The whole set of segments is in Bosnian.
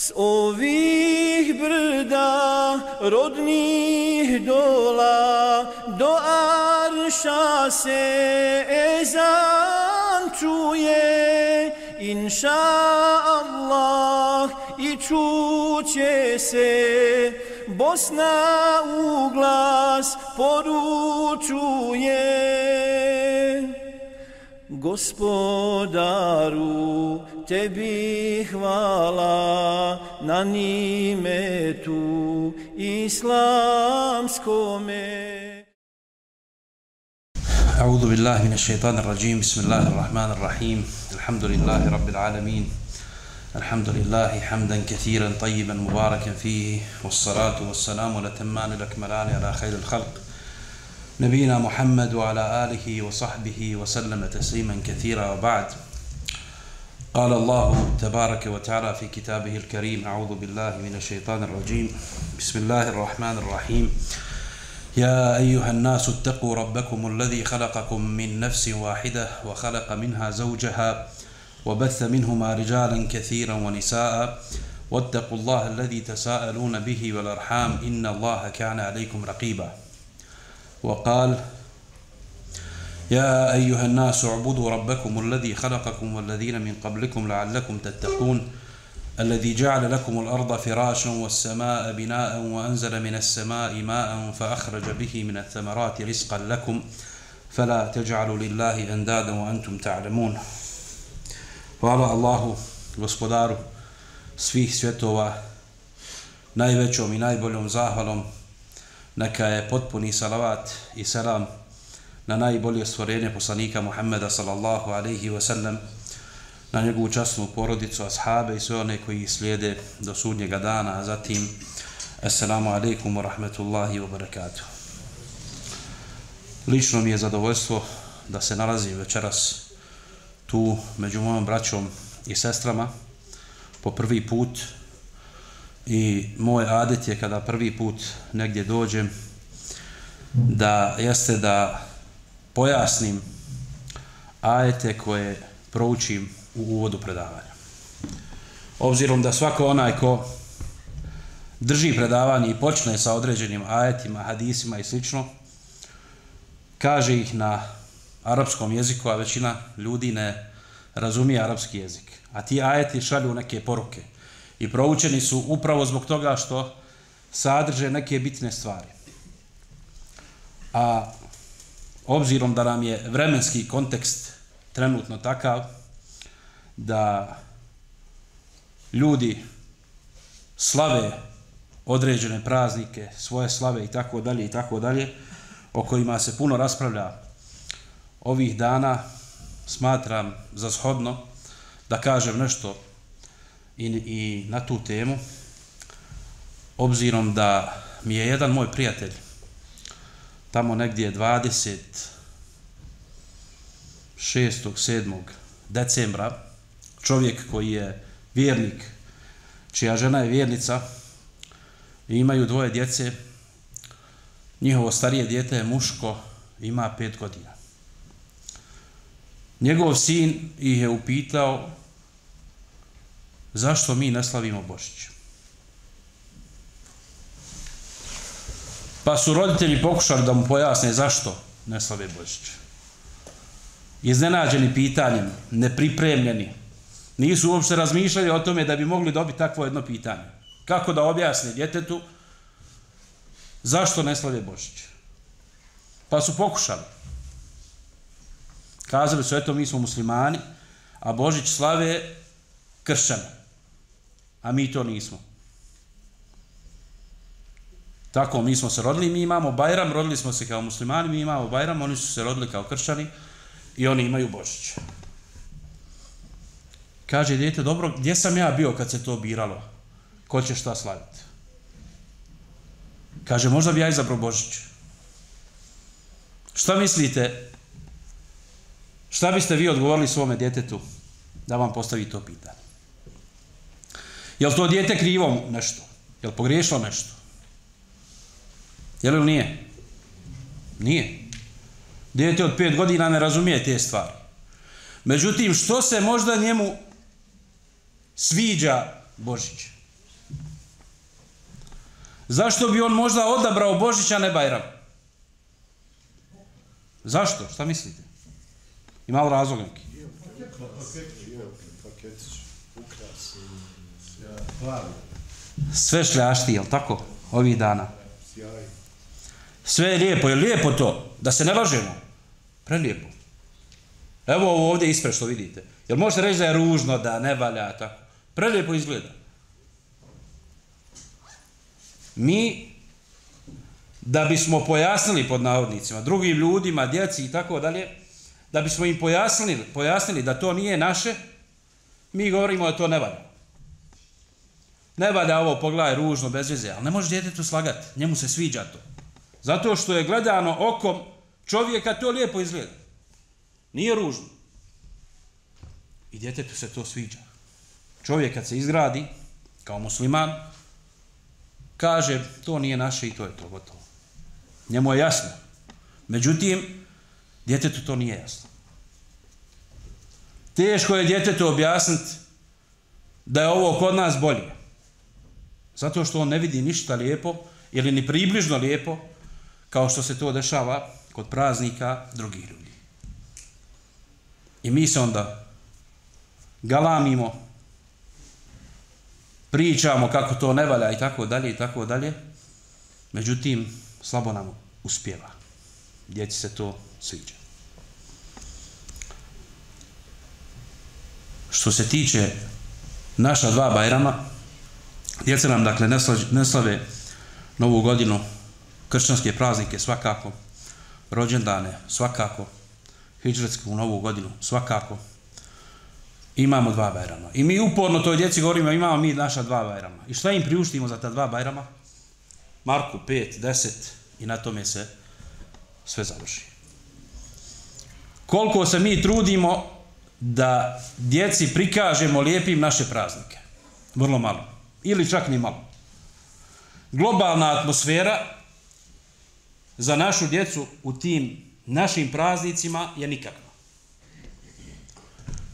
s ovih brda rodnih dola, do arša se ezan čuje, inša Allah, i čuće se, Bosna u glas poručuje. Gospodaru, tebi hvala na nimetu islamskome. أعوذ بالله من الشيطان الرجيم بسم الله الرحمن الرحيم الحمد لله رب العالمين الحمد لله حمدا كثيرا طيبا مباركا فيه والصلاة والسلام الأتمان الأكملان على خير الخلق نبينا محمد وعلى آله وصحبه وسلم تسليما كثيرا وبعد قال الله تبارك وتعالى في كتابه الكريم أعوذ بالله من الشيطان الرجيم بسم الله الرحمن الرحيم يا أيها الناس اتقوا ربكم الذي خلقكم من نفس واحدة وخلق منها زوجها وبث منهما رجالا كثيرا ونساء واتقوا الله الذي تساءلون به والأرحام إن الله كان عليكم رقيبا وقال يا أيها الناس اعبدوا ربكم الذي خلقكم والذين من قبلكم لعلكم تتقون الذي جعل لكم الأرض فراشا والسماء بناء وأنزل من السماء ماء فأخرج به من الثمرات رزقا لكم فلا تجعلوا لله أندادا وأنتم تعلمون. Hvala Allahu, gospodaru svih svjetova, najvećom i najboljom zahvalom. Neka je potpuni salavat i selam na najbolje stvorenje poslanika Muhammeda sallallahu alaihi wa sallam, na njegovu časnu porodicu, ashabe i sve one koji slijede do sudnjega dana, a zatim assalamu alaikum wa rahmetullahi wa barakatuh. Lično mi je zadovoljstvo da se nalazim večeras tu među mojom braćom i sestrama po prvi put i moj adet je kada prvi put negdje dođem da pojasnim ajete koje proučim u uvodu predavanja. Obzirom da svako onaj ko drži predavanje i počne sa određenim ajetima, hadisima i slično, kaže ih na arapskom jeziku, a većina ljudi ne razumije arapski jezik. A ti ajeti šalju neke poruke. I proučeni su upravo zbog toga što sadrže neke bitne stvari. A obzirom da nam je vremenski kontekst trenutno takav da ljudi slave određene praznike, svoje slave i tako dalje, o kojima se puno raspravlja ovih dana, smatram za shodno da kažem nešto i na tu temu, obzirom da mi je jedan moj prijatelj tamo negdje 26. 7. decembra, čovjek koji je vjernik, čija žena je vjernica i imaju dvoje djece, njihovo starije dijete je muško, ima 5 godina. Njegov sin ih je upitao zašto mi ne slavimo Božić. Pa su roditelji pokušali da mu pojasne zašto ne slave Božić. Iznenađeni pitanjem, nepripremljeni, nisu uopšte razmišljali o tome da bi mogli dobiti takvo jedno pitanje. Kako da objasne djetetu zašto ne slave Božić. Pa su pokušali. Kazali su, eto, mi smo muslimani, a Božić slave kršćani, a mi to nismo. Tako, mi smo se rodili, mi imamo Bajram, rodili smo se kao muslimani, mi imamo Bajram, oni su se rodili kao kršćani i oni imaju Božić. Kaže dijete, dobro, gdje sam ja bio kad se to biralo? Ko će šta slaviti? Kaže, možda bi ja izabrao Božić. Šta mislite? Šta biste vi odgovorili svome djetetu da vam postavi to pitanje? Je li to dijete krivo nešto? Je li pogriješilo nešto? Je li nije? Nije. Dijete od 5 godina ne razumije te stvari. Međutim, što se možda njemu sviđa Božić? Zašto bi on možda odabrao Božić, a ne Bajram? Zašto? Šta mislite? Ima li razloga neki? Sve šljašti, jel tako? Ovih dana. Sve je lijepo. Je lijepo to? Da se ne lažemo? Prelijepo. Evo ovdje ispred što vidite. Jel možete reći da je ružno, da ne valja, tako? Prelijepo izgleda. Mi, da bismo pojasnili pod navodnicima, drugim ljudima, djeci i tako dalje, da bismo im pojasnili da to nije naše, mi govorimo da to ne valja. Ne valja ovo, pogledaj, ružno, bez veze, ali ne može djetetu slagati, njemu se sviđa to. Zato što je gledano okom čovjeka, to lijepo izgleda. Nije ružno. I djetetu se to sviđa. Čovjek kad se izgradi, kao musliman, kaže, to nije naše i to je to, gotovo. Njemu je jasno. Međutim, djetetu to nije jasno. Teško je djetetu objasniti da je ovo kod nas bolje. Zato što on ne vidi ništa lijepo ili ni približno lijepo kao što se to dešava kod praznika drugih ljudi. I mi se onda galamimo, pričamo kako to ne valja i tako dalje i tako dalje. Međutim, slabo nam uspijeva. Djeci se to sviđa. Što se tiče naša dva Bajrama, djeca nam dakle ne slave Novu godinu, kršćanske praznike svakako, rođendane svakako, hidžretsku Novu godinu svakako. Imamo dva Bajrama. I mi uporno toj djeci govorimo, imamo mi naša dva Bajrama. I šta im priuštimo za ta dva Bajrama? Marku 5, 10 i na tome se sve završi. Koliko se mi trudimo da djeci prikažemo lijepim naše praznike? Vrlo malo. Ili čak ni malo. Globalna atmosfera za našu djecu u tim našim praznicima je nikakva.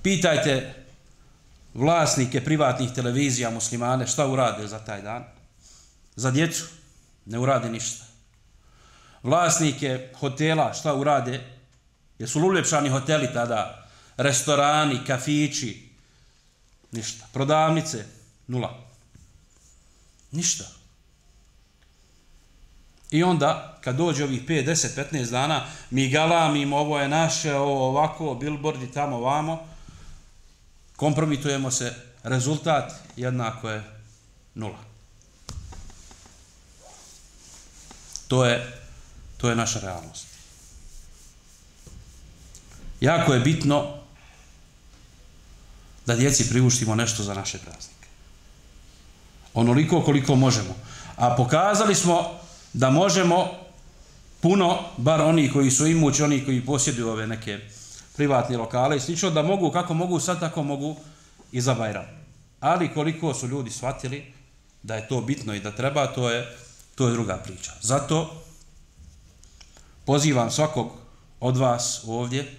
Pitajte vlasnike privatnih televizija muslimane šta urade za taj dan. Za djecu ne urade ništa. Vlasnike hotela šta urade? Jesu uljepšani hoteli tada? Restorani, kafići? Ništa. Prodavnice? Nula. Ništa. I onda, kad dođe ovih 5, 10, 15 dana, mi galamimo, ovo je naše, ovo ovako, billboardi tamo, vamo, kompromitujemo se, rezultat jednako je nula. To je naša realnost. Jako je bitno da djeci priuštimo nešto za naše praznike. Onoliko koliko možemo. A pokazali smo da možemo puno, bar oni koji su imući, oni koji posjeduju ove neke privatne lokale i slično, da mogu, kako mogu sad, tako mogu i za Bajram. Ali koliko su ljudi shvatili da je to bitno i da treba, to je druga priča. Zato pozivam svakog od vas ovdje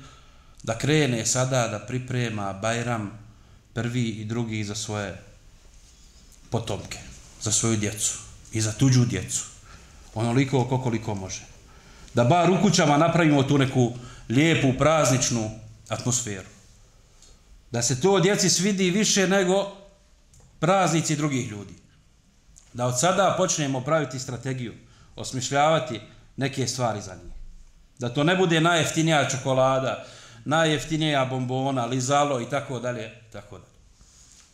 da krene sada da priprema Bajram prvi i drugi za svoje potomke, za svoju djecu i za tuđu djecu. Onoliko koliko može. Da bar u kućama napravimo tu neku lijepu, prazničnu atmosferu. Da se to djeci svidi više nego praznici drugih ljudi. Da od sada počnemo praviti strategiju, osmišljavati neke stvari za njih. Da to ne bude najjeftinija čokolada, najjeftinija bombona, lizalo i tako dalje, tako dalje.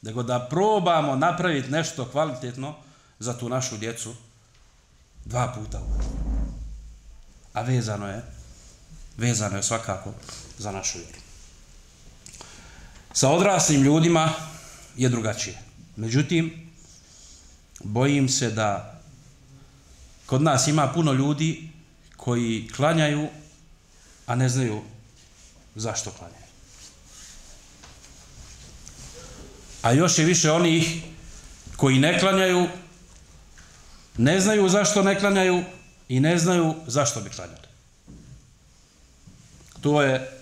Nego da probamo napraviti nešto kvalitetno za tu našu djecu 2 puta u godinu. A vezano je svakako za našu vjeru. Sa odraslim ljudima je drugačije. Međutim, bojim se da kod nas ima puno ljudi koji klanjaju, a ne znaju zašto klanjaju. A još je više onih koji ne klanjaju, ne znaju zašto ne klanjaju i ne znaju zašto bi klanjali. To je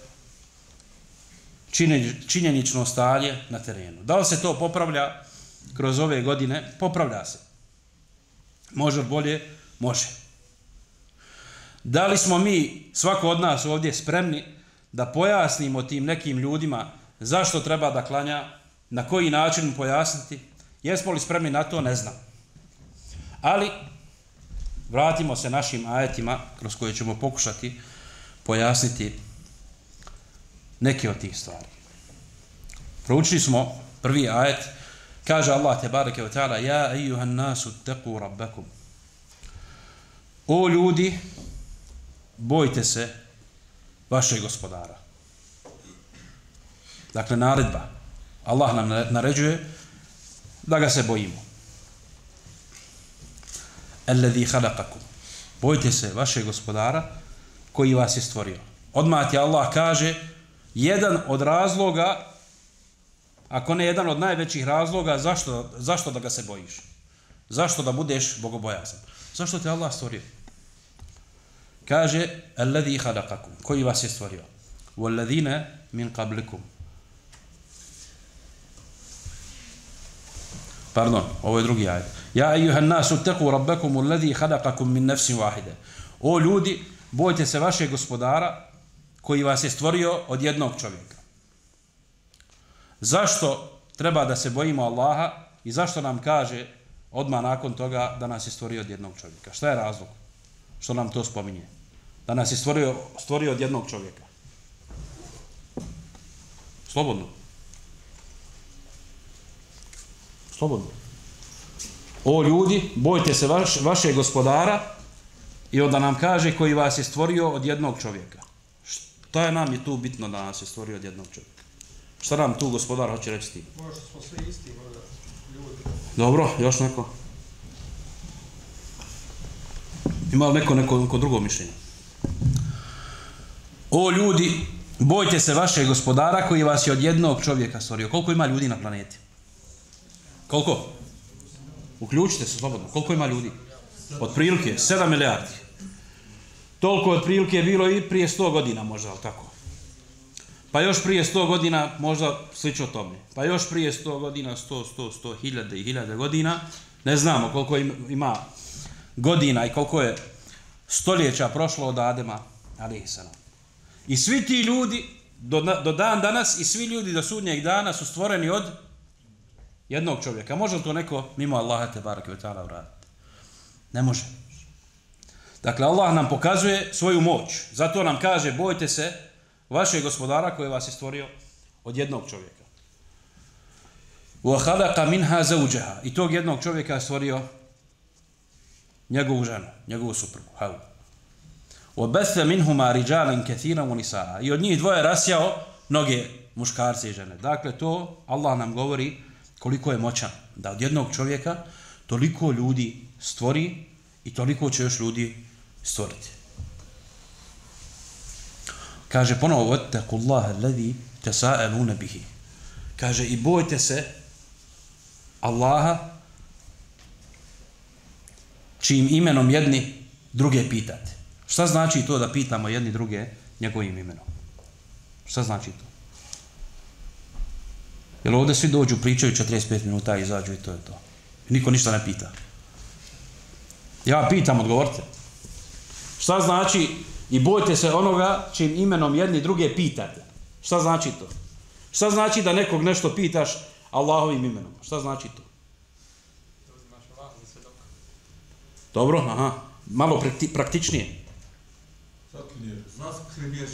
činjenično stanje na terenu. Da li se to popravlja kroz ove godine, popravlja se. Može bolje? Može. Da li smo mi, svako od nas ovdje, spremni da pojasnimo tim nekim ljudima zašto treba da klanja, na koji način pojasniti? Jesmo li spremni na to? Ne znam. Ali vratimo se našim ajetima kroz koje ćemo pokušati pojasniti neke od tih stvari. Proučili smo prvi ajet, kaže Allah tebareke ve taala: ja ejuhan nasu taqu rabbakum. O ljudi, bojte se vašeg gospodara. Dakle, naredba. Allah nam naređuje da ga se bojimo. Alladhi khalaqakum. Bojte se vašeg gospodara koji vas je stvorio. Odmah ti Allah kaže jedan od razloga, ako ne jedan od najvećih razloga, zašto da ga se bojiš? Zašto da budeš bogobojazan? Zašto te Allah stvorio? Kaže alladhi khalaqakum, koji vas je stvorio. Walladhina min qablikum. Pardon, ovo je drugi ajet. Ja ejuhan nasu taqu rabbakum alladhi khalaqakum min nafsin wahide. O ljudi, bojte se vašeg gospodara koji vas je stvorio od jednog čovjeka. Zašto treba da se bojimo Allaha i zašto nam kaže odmah nakon toga da nas je stvorio od jednog čovjeka? Šta je razlog? Što nam to spominje? Da nas je stvorio od jednog čovjeka. Slobodno. Slobodno. O ljudi, bojte se vašeg gospodara i onda nam kaže koji vas je stvorio od jednog čovjeka. Šta je nam je tu bitno da nas je stvorio od jednog čovjeka? Šta nam tu gospodar hoće reći ti? Možda smo svi isti, možda ljudi. Dobro, još neko? Ima li neko drugo mišljenje? O ljudi, bojte se vašeg gospodara koji vas je od jednog čovjeka stvorio. Koliko ima ljudi na planeti? Koliko? Uključite se slobodno. Koliko ima ljudi? Otprilike 7 milijardi. Toliko otprilike je bilo i prije 100 godina možda, ali tako. Pa još prije 100 godina možda slično tome. Pa još prije 100 godina, 100, hiljade i hiljade godina. Ne znamo koliko ima godina i koliko je stoljeća prošlo od Adema, alejhiselam. I svi ti ljudi do dan danas i svi ljudi do sudnjeg dana su stvoreni od jednog čovjeka. Može li to neko mimo Allaha tebareke ve taala uraditi? Ne može. Dakle, Allah nam pokazuje svoju moć. Zato nam kaže, bojte se vašeg gospodara koji vas je stvorio od jednog čovjeka. وَخَلَقَ مِنْهَا زَوْجَهَا. I tog jednog čovjeka je stvorio njegovu ženu, njegovu suprugu, Havu. وَبَثَّ مِنْهُمَا رِجَالًا كَثِيرًا وَنِسَاءً. I od njih dvoje rasjao mnoge muškarce i žene. Dakle, to Allah nam govori koliko je moćan. Da od jednog čovjeka toliko ljudi stvori i toliko će još ljudi stvoriti. Kaže ponovo wattaqullaha alladhi tasaaluna bihi. Kaže i bojte se Allaha čijim imenom jedni druge pitate. Šta znači to da pitamo jedni druge njegovim imenom? Šta znači to? Jer ovdje svi dođu, pričaju 45 minuta i izađu i to je to. Niko ništa ne pita. Ja pitam, odgovorite. Šta znači i bojte se onoga čim imenom jedni druge pitate? Šta znači to? Šta znači da nekog nešto pitaš Allahovim imenom? Šta znači to? Dobro, aha. Malo praktičnije.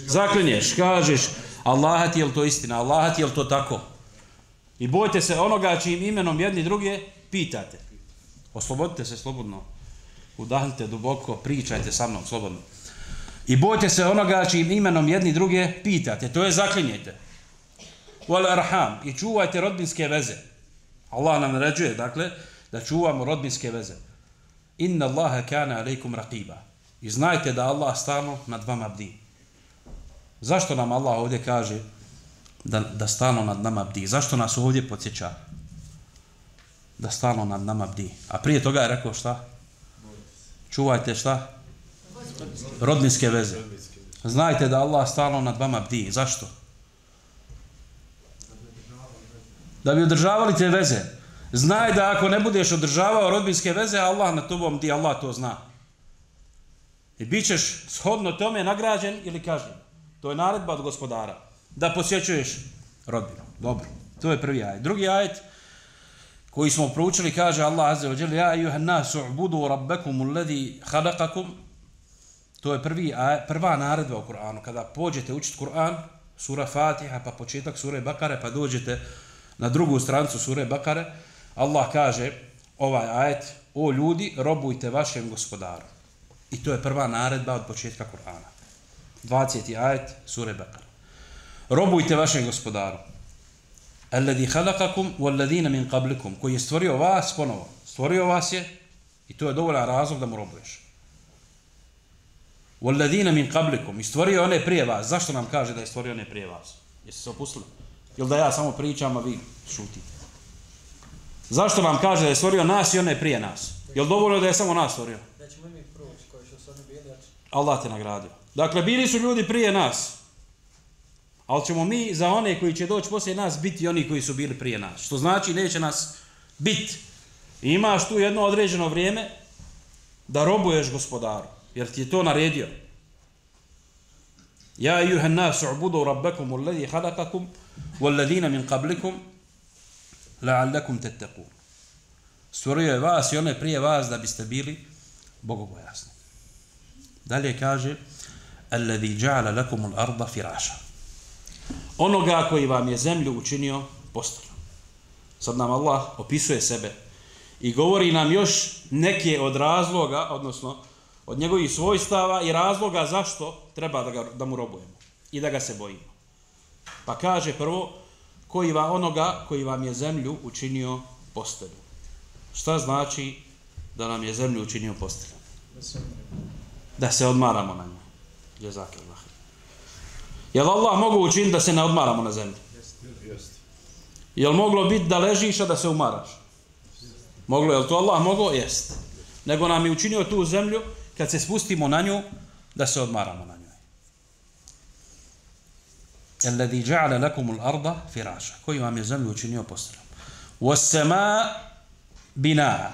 Zaklinješ, kažeš Allaha ti je li to istina, Allaha ti je li to tako? I bojte se onoga čijim imenom jedni druge pitate. Oslobodite se slobodno. Udahnite duboko, pričajte sa mnom slobodno. I bojte se onoga čijim imenom jedni druge pitate. To je zaklinjete. Wal arham. I čuvajte rodbinske veze. Allah nam naređuje, dakle, da čuvamo rodbinske veze. Inna Allaha kana alejkum raqiba. I znajte da Allah stalno nad vama bdi. Zašto nam Allah ovdje kaže da stalno nad nama bdi? Zašto nas ovdje podsjeća? Da stalno nad nama bdi. A prije toga je rekao šta? Čuvajte šta? Rodbinske veze. Znajte da Allah stalno nad vama bdi. Zašto? Da bi održavali te veze. Znaj da ako ne budeš održavao rodbinske veze, Allah na tobom, ti Allah to zna. I bit ćeš shodno tome nagrađen ili kažnjen. To je naredba od gospodara. Da posjećuješ rodbinu. Dobro. To je prvi ajet. Drugi ajet koji smo proučili kaže Allah azza wa jalla ja ejuhan nasu ubudu rabbakum alladhi khalaqakum. To je prva naredba u Kur'anu. Kada pođete učiti Kur'an, sura Fatiha, pa početak sure Bakare, pa dođete na drugu stranicu sure Bakare, Allah kaže ovaj ajet, o ljudi, robujte vašem gospodaru. I to je prva naredba od početka Kur'ana. 20. ajet sure Bakare. Robujte vašem gospodaru. Alladhi khalaqakum walladhina min qablikum, koji je stvorio vas ponovo. Stvorio vas je i to je dovoljan razlog da mu robuješ. Walladhina min qablikum, i stvorio one prije vas. Zašto nam kaže da je stvorio one prije vas? Jeste se opustili? Ili da ja samo pričam, a vi šutite? Zašto nam kaže da je stvorio nas i one prije nas? Jel dovoljno da je samo nas stvorio? Nećemo mi proći koji su oni bili. Allah te nagradio. Dakle, bili su ljudi prije nas. Ali ćemo mi za one koji će doći poslije nas biti oni koji su bili prije nas. Što znači neće nas biti. Imaš tu jedno određeno vrijeme da robuješ gospodaru. Jer ti je to naredio. Ja ejuhan nasu ubudu rabbakum alladhi khalaqakum walladhina min qablikum la'allakum tattaqun. Stvorio je vas i one prije vas da biste bili bogobojasni. Dalje kaže alladhi ja'ala lakum al-arda firasha. Onoga koji vam je zemlju učinio posteljom. Sad nam Allah opisuje sebe i govori nam još neke od razloga, odnosno od njegovih svojstava i razloga zašto treba da mu robujemo i da ga se bojimo. Pa kaže prvo, onoga koji vam je zemlju učinio posteljom. Šta znači da nam je zemlju učinio posteljom? Da se odmaramo na njoj. Jazakallah. Jel Allah mogu učiniti da se ne odmaramo na zemlji? Jel moglo biti da ležiš, a da se umaraš? Moglo, jel to Allah mogao? Jest. Nego nam je učinio tu zemlju, kad se spustimo na nju, da se odmaramo na njoj. Alladhi ja'ala lakum al-arda firasha, koji vam je zemlju učinio posteljom. Was-samaa binaa,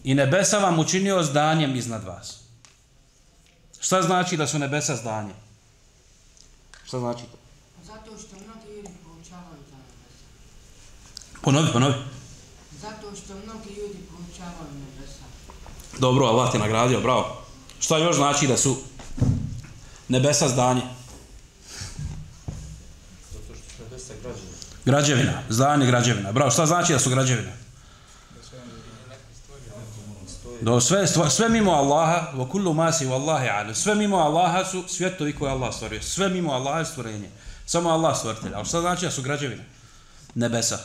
i nebesa vam učinio zdanjem iznad vas. Šta znači da su nebesa zdanje? Šta znači to? Zato što mnogi ljudi proučavaju ta nebesa. Ponovi. Zato što mnogi ljudi proučavaju nebesa. Dobro, Allah te nagradio, bravo. Šta još znači da su nebesa zdanje? Zato što su nebesa građevina. Građevina, zdanje građevina. Bravo, šta znači da su građevine? Do sve mimo Allaha, wa kullu ma si wallahi alim. Sve mimo Allaha su svjetovi koje Allah stvorio. Sve mimo Allaha je stvorenje. Samo Allah stvoritelj. A šta znači da su građevine? Nebesa.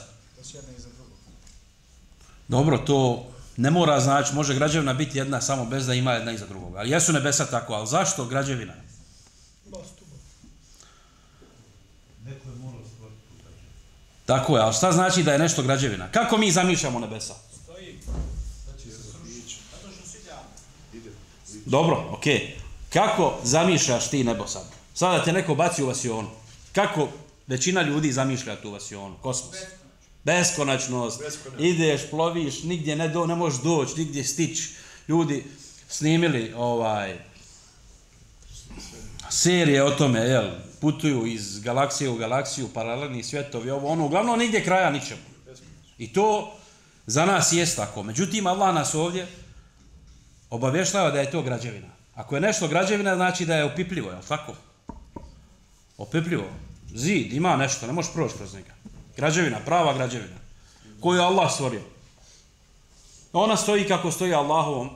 Dobro, to ne mora znači, može građevina biti jedna samo bez da ima jedna iza drugoga. Ali jesu nebesa tako, ali zašto građevina? Neko je morao stvoriti tu građevinu. Tako je, ali šta znači da je nešto građevina? Kako mi zamišljamo nebesa? Dobro, okej. Kako zamišljaš ti nebo sad? Sada te neko baci u vasionu. Kako većina ljudi zamišlja tu vasionu? Kosmos. Beskonačnost. Ideš, ploviš, nigdje ne možeš doći, nigdje stići. Ljudi snimili serije o tome, jel? Putuju iz galaksije u galaksiju, paralelni svjetovi, uglavnom nigdje kraja ničemu. I to za nas jest tako. Međutim, Allah nas ovdje obavještava da je to građevina. Ako je nešto građevina, znači da je opipljivo, je li tako? Opipljivo. Zid, ima nešto, ne možeš proći kroz njega. Građevina, prava građevina. Koju je Allah stvorio. Ona stoji kako stoji Allahovom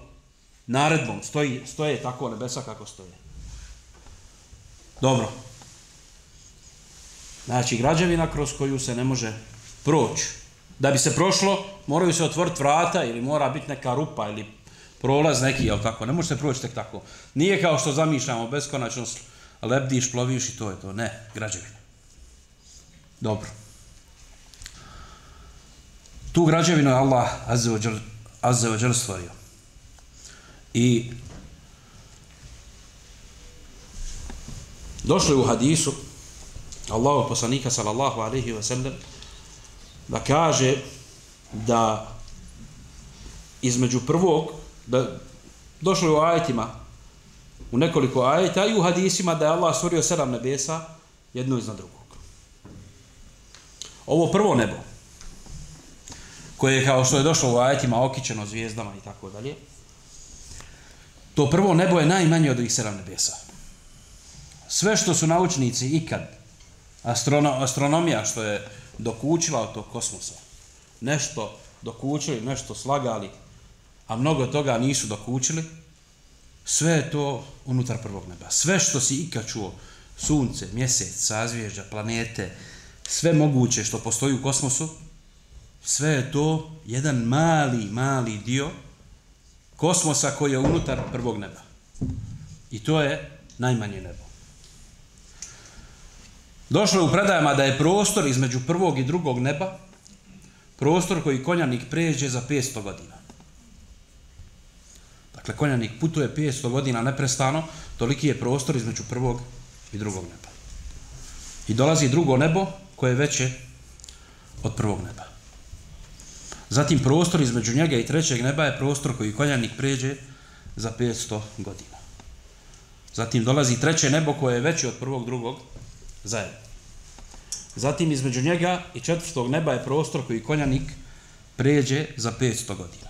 naredbom. Stoje tako nebesa kako stoje. Dobro. Znači, građevina kroz koju se ne može proći. Da bi se prošlo, moraju se otvoriti vrata ili mora biti neka rupa ili prolaz neki, jel tako? Ne može se proći tek tako. Nije kao što zamišljamo beskonačnost, lebdiš, ploviš i to je to. Ne, građevina. Dobro. Tu građevinu je Allah azza wa jal stvorio. I došlo je u hadisu Allahov poslanika sallallahu alejhi ve sellem da kaže da između prvog, da došlo je u ajetima, u nekoliko ajeta i u hadisima da je Allah stvorio 7 nebesa, jedno iznad drugog. Ovo prvo nebo, koje je kao što je došlo u ajetima okićeno zvijezdama i tako dalje, to prvo nebo je najmanje od ovih 7 nebesa. Sve što su naučnici ikad, astronomija što je dokučila od tog kosmosa, nešto dokučili, nešto slagali, a mnogo toga nisu dokučili, sve je to unutar prvog neba. Sve što si ikad čuo, sunce, mjesec, sazvježđa, planete, sve moguće što postoji u kosmosu, sve je to jedan mali dio kosmosa koji je unutar prvog neba. I to je najmanje nebo. Došlo je u predajama da je prostor između prvog i drugog neba prostor koji konjanik pređe za 500 godina. Dakle, konjanik putuje 500 godina neprestano, toliki je prostor između prvog i drugog neba. I dolazi drugo nebo koje je veće od prvog neba. Zatim prostor između njega i trećeg neba je prostor koji konjanik pređe za 500 godina. Zatim dolazi treće nebo koje je veće od prvog, drugog zajedno. Zatim između njega i četvrtog neba je prostor koji konjanik pređe za 500 godina.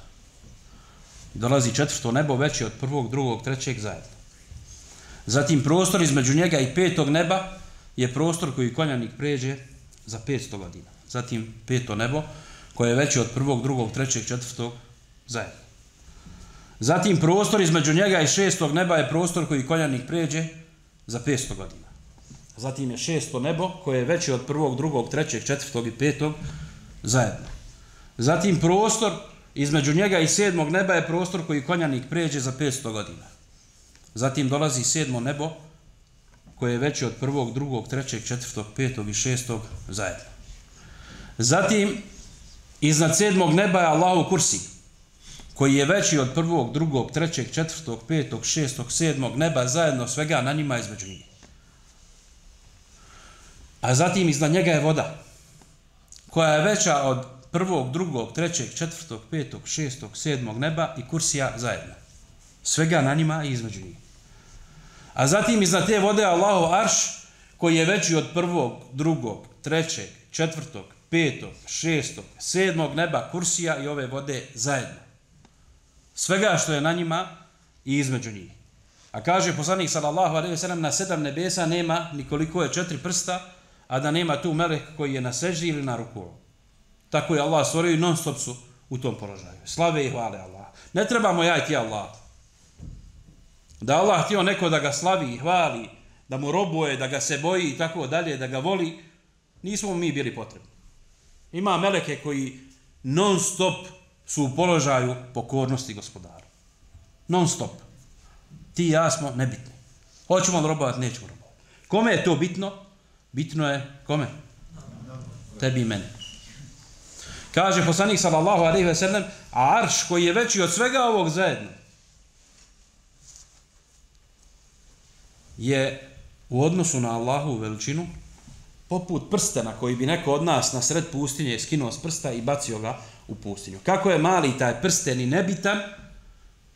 Dolazi četvrto nebo veće od prvog, drugog, trećeg zajedno. Zatim prostor između njega i petog neba je prostor koji konjanik pređe za 500 godina. Zatim peto nebo koje je veće od prvog, drugog, trećeg, četvrtog zajedno. Zatim prostor između njega i šestog neba je prostor koji konjanik pređe za 500 godina. Zatim je šesto nebo koje je veće od prvog, drugog, trećeg, četvrtog i petog zajedno. Zatim prostor između njega i sedmog neba je prostor koji konjanik pređe za 500 godina. Zatim dolazi sedmo nebo koje je veće od prvog, drugog, trećeg, četvrtog, petog i šestog zajedno. Zatim iznad sedmog neba je Allahov kursi koji je veći od prvog, drugog, trećeg, četvrtog, petog, šestog, sedmog neba zajedno, svega na njima između njih. A zatim iznad njega je voda koja je veća od prvog, drugog, trećeg, četvrtog, petog, šestog, sedmog neba i kursija zajedno. Svega na njima i između njih. A zatim iznad te vode je Allahov arš koji je veći od prvog, drugog, trećeg, četvrtog, petog, šestog, sedmog neba, kursija i ove vode zajedno. Svega što je na njima i između njih. A kaže poslanik sallallahu alejhi ve sellem na 7 nebesa nema nikoliko je 4 prsta, a da nema tu melek koji je na seždi ili na ruku. Tako je Allah stvorio i non stop su u tom položaju. Slave i hvale Allah. Ne trebamo jajti Allah. Da Allah htio neko da ga slavi i hvali, da mu robuje, da ga se boji i tako dalje, da ga voli, nismo mi bili potrebni. Ima meleke koji non stop su u položaju pokornosti gospodaru. Non stop. Ti i ja smo nebitni. Hoćemo li robovati, nećemo robovati. Kome je to bitno? Bitno je kome? Tebi i meni. Kaže poslanik sallallahu alejhi ve sellem, a arš koji je veći od svega ovog zajedno je u odnosu na Allahovu veličinu poput prstena koji bi neko od nas na sred pustinje skinuo s prsta i bacio ga u pustinju. Kako je mali taj prsten i nebitan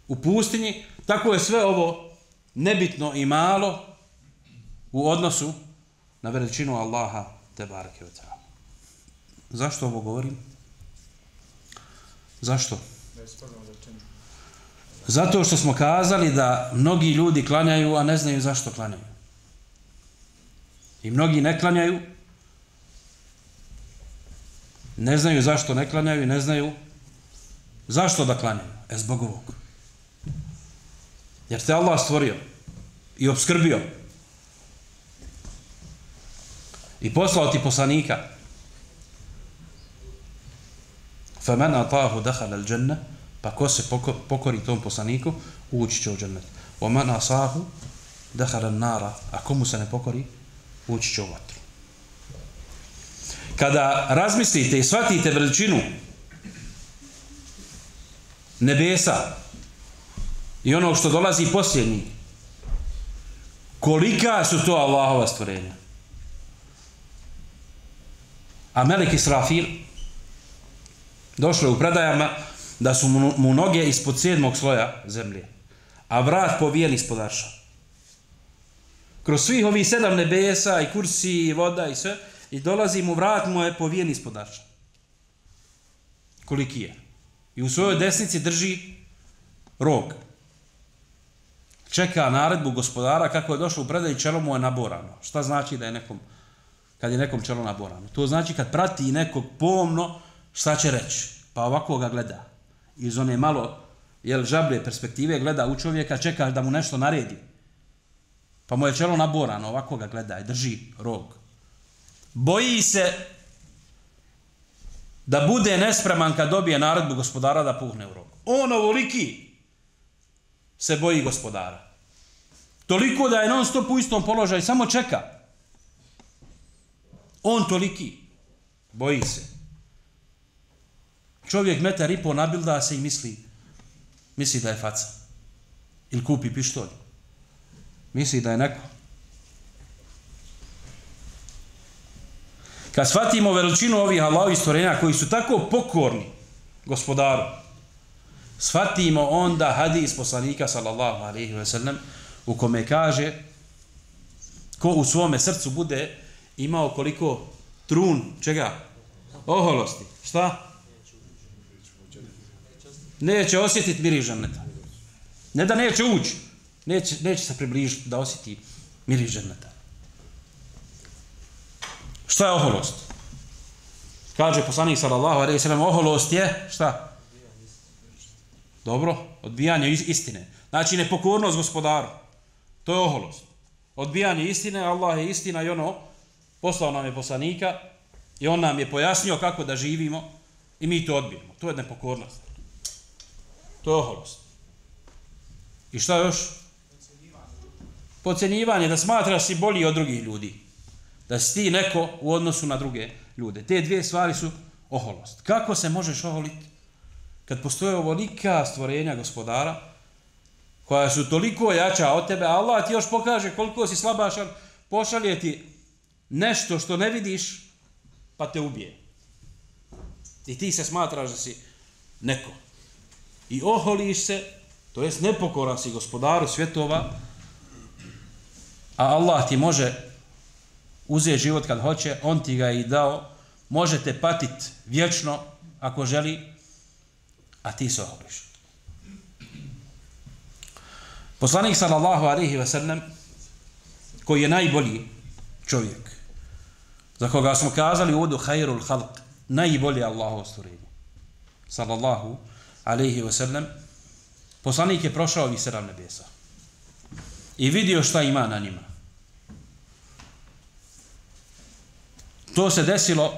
u pustinji, tako je sve ovo nebitno i malo u odnosu na veličinu Allaha tebareke ve taala. Zašto ovo govorim? Zašto? Zato što smo kazali da mnogi ljudi klanjaju, a ne znaju zašto klanjaju. I mnogi ne klanjaju, ne znaju zašto ne klanjaju i ne znaju zašto da klanjaju. Zbog ovog. Jer te Allah stvorio i obskrbio i poslao ti poslanika. فَمَنْ أَطَاهُ دَخَلَ الْجَنَّةِ pa ko se pokori tom poslaniku, ući će u džennet. وَمَنْ أَصَاهُ دَخَلَ النَّارَ a komu se ne pokori, ući će u vatru. Kada razmislite i shvatite veličinu nebesa i onog što dolazi posljednji, kolika su to Allahova stvorenja. A melek Israfil Došlo je u predajama da su mu noge ispod 7. sloja zemlje, a vrat povijen ispod arša. Kroz svih ovih 7 nebesa i kursi i voda i sve, i dolazi mu vrat mu je povijen ispod arša. Koliki je. I u svojoj desnici drži rog. Čeka naredbu gospodara kako je došlo u predaj i čelo mu je naborano. Šta znači da je nekom, kad je nekom čelo naborano? To znači kad prati nekog pomno, šta će reći? Pa ovako ga gleda. Iz one malo žablje perspektive gleda u čovjeka, čeka da mu nešto naredi. Pa mu je čelo naborano, ovako ga gleda i drži rog. Boji se da bude nespreman kad dobije naredbu gospodara da puhne u rog. On ovoliki se boji gospodara. Toliko da je non stop u istom položaju, samo čeka. On toliki. Boji se. Čovjek 1,5 m nabilda se i misli da je faca. Ili kupi pištolj. Misli da je neko. Kad shvatimo veličinu ovih Allahovih stvorenja koji su tako pokorni gospodaru, shvatimo onda hadis poslanika sallallahu alejhi ve sellem u kome kaže ko u svome srcu bude imao koliko trun, čega? Oholosti. Šta? Neće osjetiti miris dženeta. Ne da neće ući, neće se približiti da osjeti miris dženeta. Šta je oholost? Kaže poslanik sallallahu alejhi ve sellem, oholost je šta? Dobro, odbijanje istine. Znači nepokornost gospodaru. To je oholost. Odbijanje istine, Allah je istina i ono poslao nam je poslanika i on nam je pojasnio kako da živimo i mi to odbijemo. To je nepokornost. To je oholost. I šta još? Podcjenjivanje, da smatraš si bolji od drugih ljudi. Da si ti neko u odnosu na druge ljude. Te dvije stvari su oholost. Kako se možeš oholiti? Kad postoje ovolika stvorenja gospodara, koja su toliko jača od tebe, a Allah ti još pokaže koliko si slabašan, pošalje ti nešto što ne vidiš, pa te ubije. I ti se smatraš da si neko. I oholiš se, to jest nepokoran si gospodaru svjetova, a Allah ti može uzeti život kad hoće, on ti ga je i dao, možete patiti vječno ako želi, a ti se oholiš. Poslanik sallallahu alejhi ve sellem, koji je najbolji čovjek, za koga smo kazali u uvodu hayrul halq, najbolje Allahovo stvorenje, sallallahu alejhi ve sellem, poslanik je prošao ovih 7 nebesa i vidio šta ima na njima. To se desilo,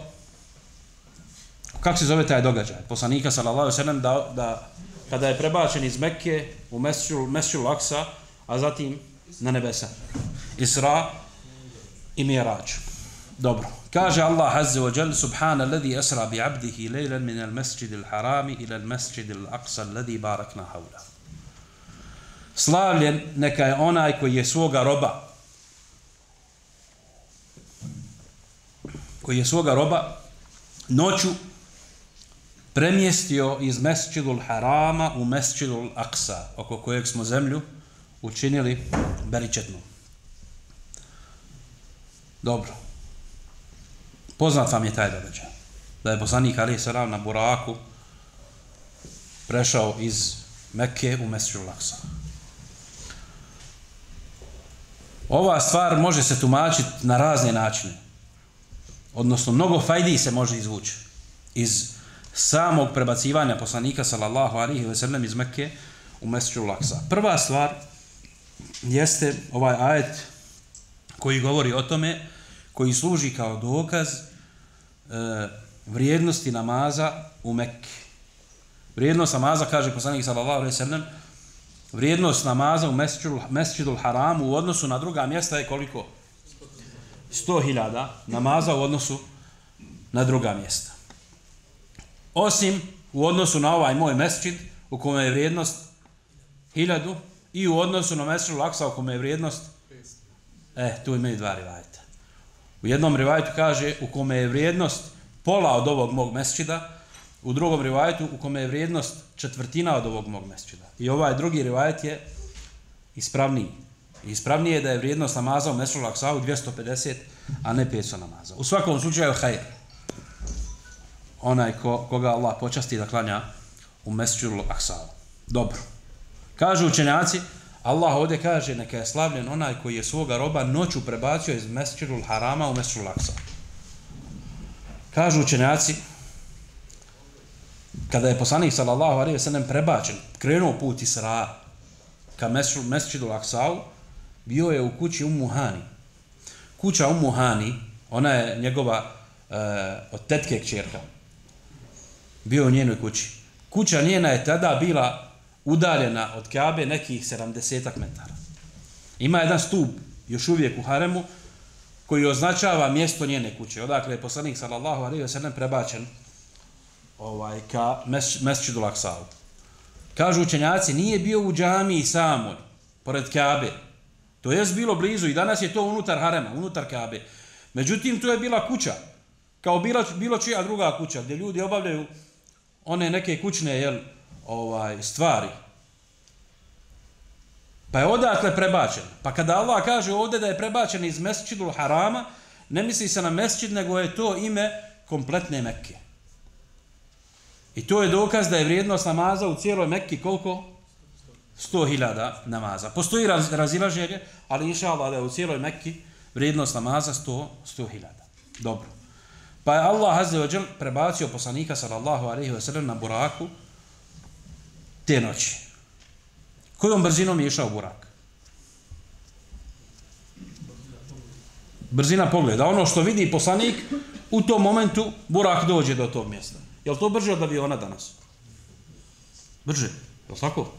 kako se zove taj događaj? Poslanika sallallahu alejhi ve sellem da kada je prebačen iz Mekke u Mesdžul Aksa, a zatim na nebesa. Isra i Mi'rađ. Dobro. Kaže Allah azza wa jalla subhana alladhi asra bi 'abdihi laylan min al-masjid al-haram ila al-masjid al-aqsa alladhi barakna hawla. Slavljen neka je onaj koji je svoga roba noću premjestio iz Mesdžidul Harama u Mesdžidul Aqsa, oko kojeg smo zemlju učinili beričetnom. Dobro. Poznat vam je taj događaj. Da je poslanik alejhi selam na buraku prešao iz Mekke u Mesdžidul Aqsa. Ova stvar može se tumačiti na razne načine. Odnosno, mnogo fajdi se može izvući iz samog prebacivanja poslanika sallallahu alejhi ve sellem iz Mekke u Mesdžidul Aqsa. Prva stvar jeste ovaj ajet koji govori o tome, koji služi kao dokaz vrijednosti namaza u Mekke. Vrijednost namaza, kaže poslanik sallallahu alejhi ve sellem, vrijednost namaza u Mesdžidul Haramu u odnosu na druga mjesta je koliko? 100.000 namaza u odnosu na druga mjesta. Osim u odnosu na ovaj moj mesdžid u kome je vrijednost 1000 i u odnosu na Mesdžidul Aqsa u kome je vrijednost tu imaju dva rivajeta. U jednom rivajetu kaže u kome je vrijednost pola od ovog mog mesdžida, u drugom rivajetu u kome je vrijednost četvrtina od ovog mog mesdžida. I ovaj drugi rivajet je ispravniji. Ispravnije je da je vrijednost namaza u Mesdžidul Aksau 250, a ne 500 namaza. U svakom slučaju hajr. Onaj koga Allah počasti da klanja u Mesdžidul Aksau. Dobro. Kažu učenjaci, Allah ovdje kaže neka je slavljen onaj koji je svoga roba noću prebacio iz Mesdžidul Harama u Mesdžidul Aksau. Kažu učenjaci, kada je poslanik sallallahu alejhi ve sellem prebačen, krenuo put Isra ka Mesdžidul Aksau, bio je u kući Ummu Hani. Kuća Ummu Hani, ona je njegova od tetke kćerka. Bio u njenoj kući. Kuća njena je tada bila udaljena od Kabe nekih 70 metara. Ima jedan stup još uvijek u haremu koji označava mjesto njene kuće. Odakle je poslanik sallallahu alejhi ve sellem prebačen ka Mesdžidul Aksau. Kažu učenjaci, nije bio u džamiji samoj, pored Kabe. To je bilo blizu i danas je to unutar harema, unutar Kabe. Međutim, to je bila kuća, kao bilo čija druga kuća, gdje ljudi obavljaju one neke kućne stvari. Pa je odatle prebačen. Pa kada Allah kaže ovdje da je prebačen iz Mesdžidul Harama, ne misli se na mesdžid, nego je to ime kompletne Mekke. I to je dokaz da je vrijednost namaza u cijeloj Mekki koliko? 100.000 namaza. Postoji razilaženje, ali inša Allah da je u cijeloj Mekki vrijednost namaza 100.000. Dobro. Pa je Allah azza wa džel prebacio poslanika sallallahu alejhi ve sellem na buraku te noći. Kojom brzinom je išao burak? Brzina pogleda. Ono što vidi poslanik, u tom momentu burak dođe do tog mjesta. Je li to brže od aviona danas? Brže. Je li tako?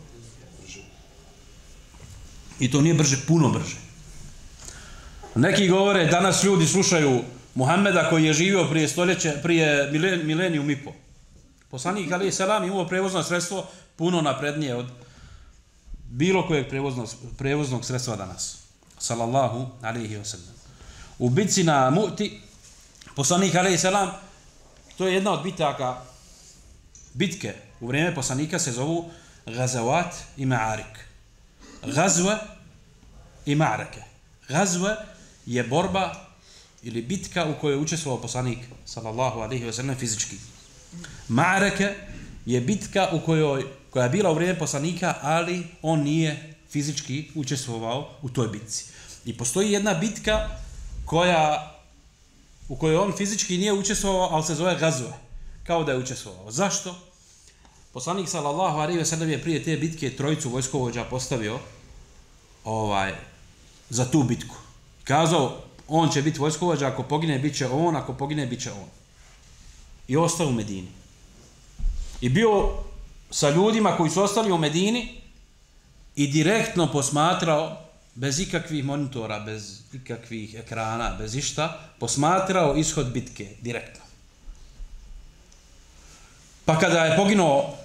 Brže. I to nije brže, puno brže. Neki govore, danas ljudi slušaju Muhameda koji je živio prije milenijum i po. Poslanik alejhi selam imao prevozno sredstvo puno naprednije od bilo kojeg prevoznog sredstva danas. Sallallahu alejhi ve sellem. U bitci na Mu'ti, poslanik alejhi selam, to je jedna od bitke u vrijeme poslanika se zovu Gazawat i Ma'arik. Gazwa i Ma'arake. Gazwa je borba ili bitka u kojoj je učestvovao poslanik sallallahu alejhi ve sellem fizički. Ma'arake je bitka koja je bila u vrijeme poslanika, ali on nije fizički učestvovao u toj bitci. I postoji jedna bitka u kojoj on fizički nije učestvovao, ali se zove Gazwa, kao da je učestvovao. Zašto? Poslanik sallallahu alejhi ve sellem je prije te bitke trojicu vojskovođa postavio za tu bitku. Kazao, on će biti vojskovođa, ako pogine bit će on, ako pogine bit će on. I ostao u Medini. I bio sa ljudima koji su ostali u Medini i direktno posmatrao, bez ikakvih monitora, bez ikakvih ekrana, bez išta, posmatrao ishod bitke direktno. Pa kada je poginuo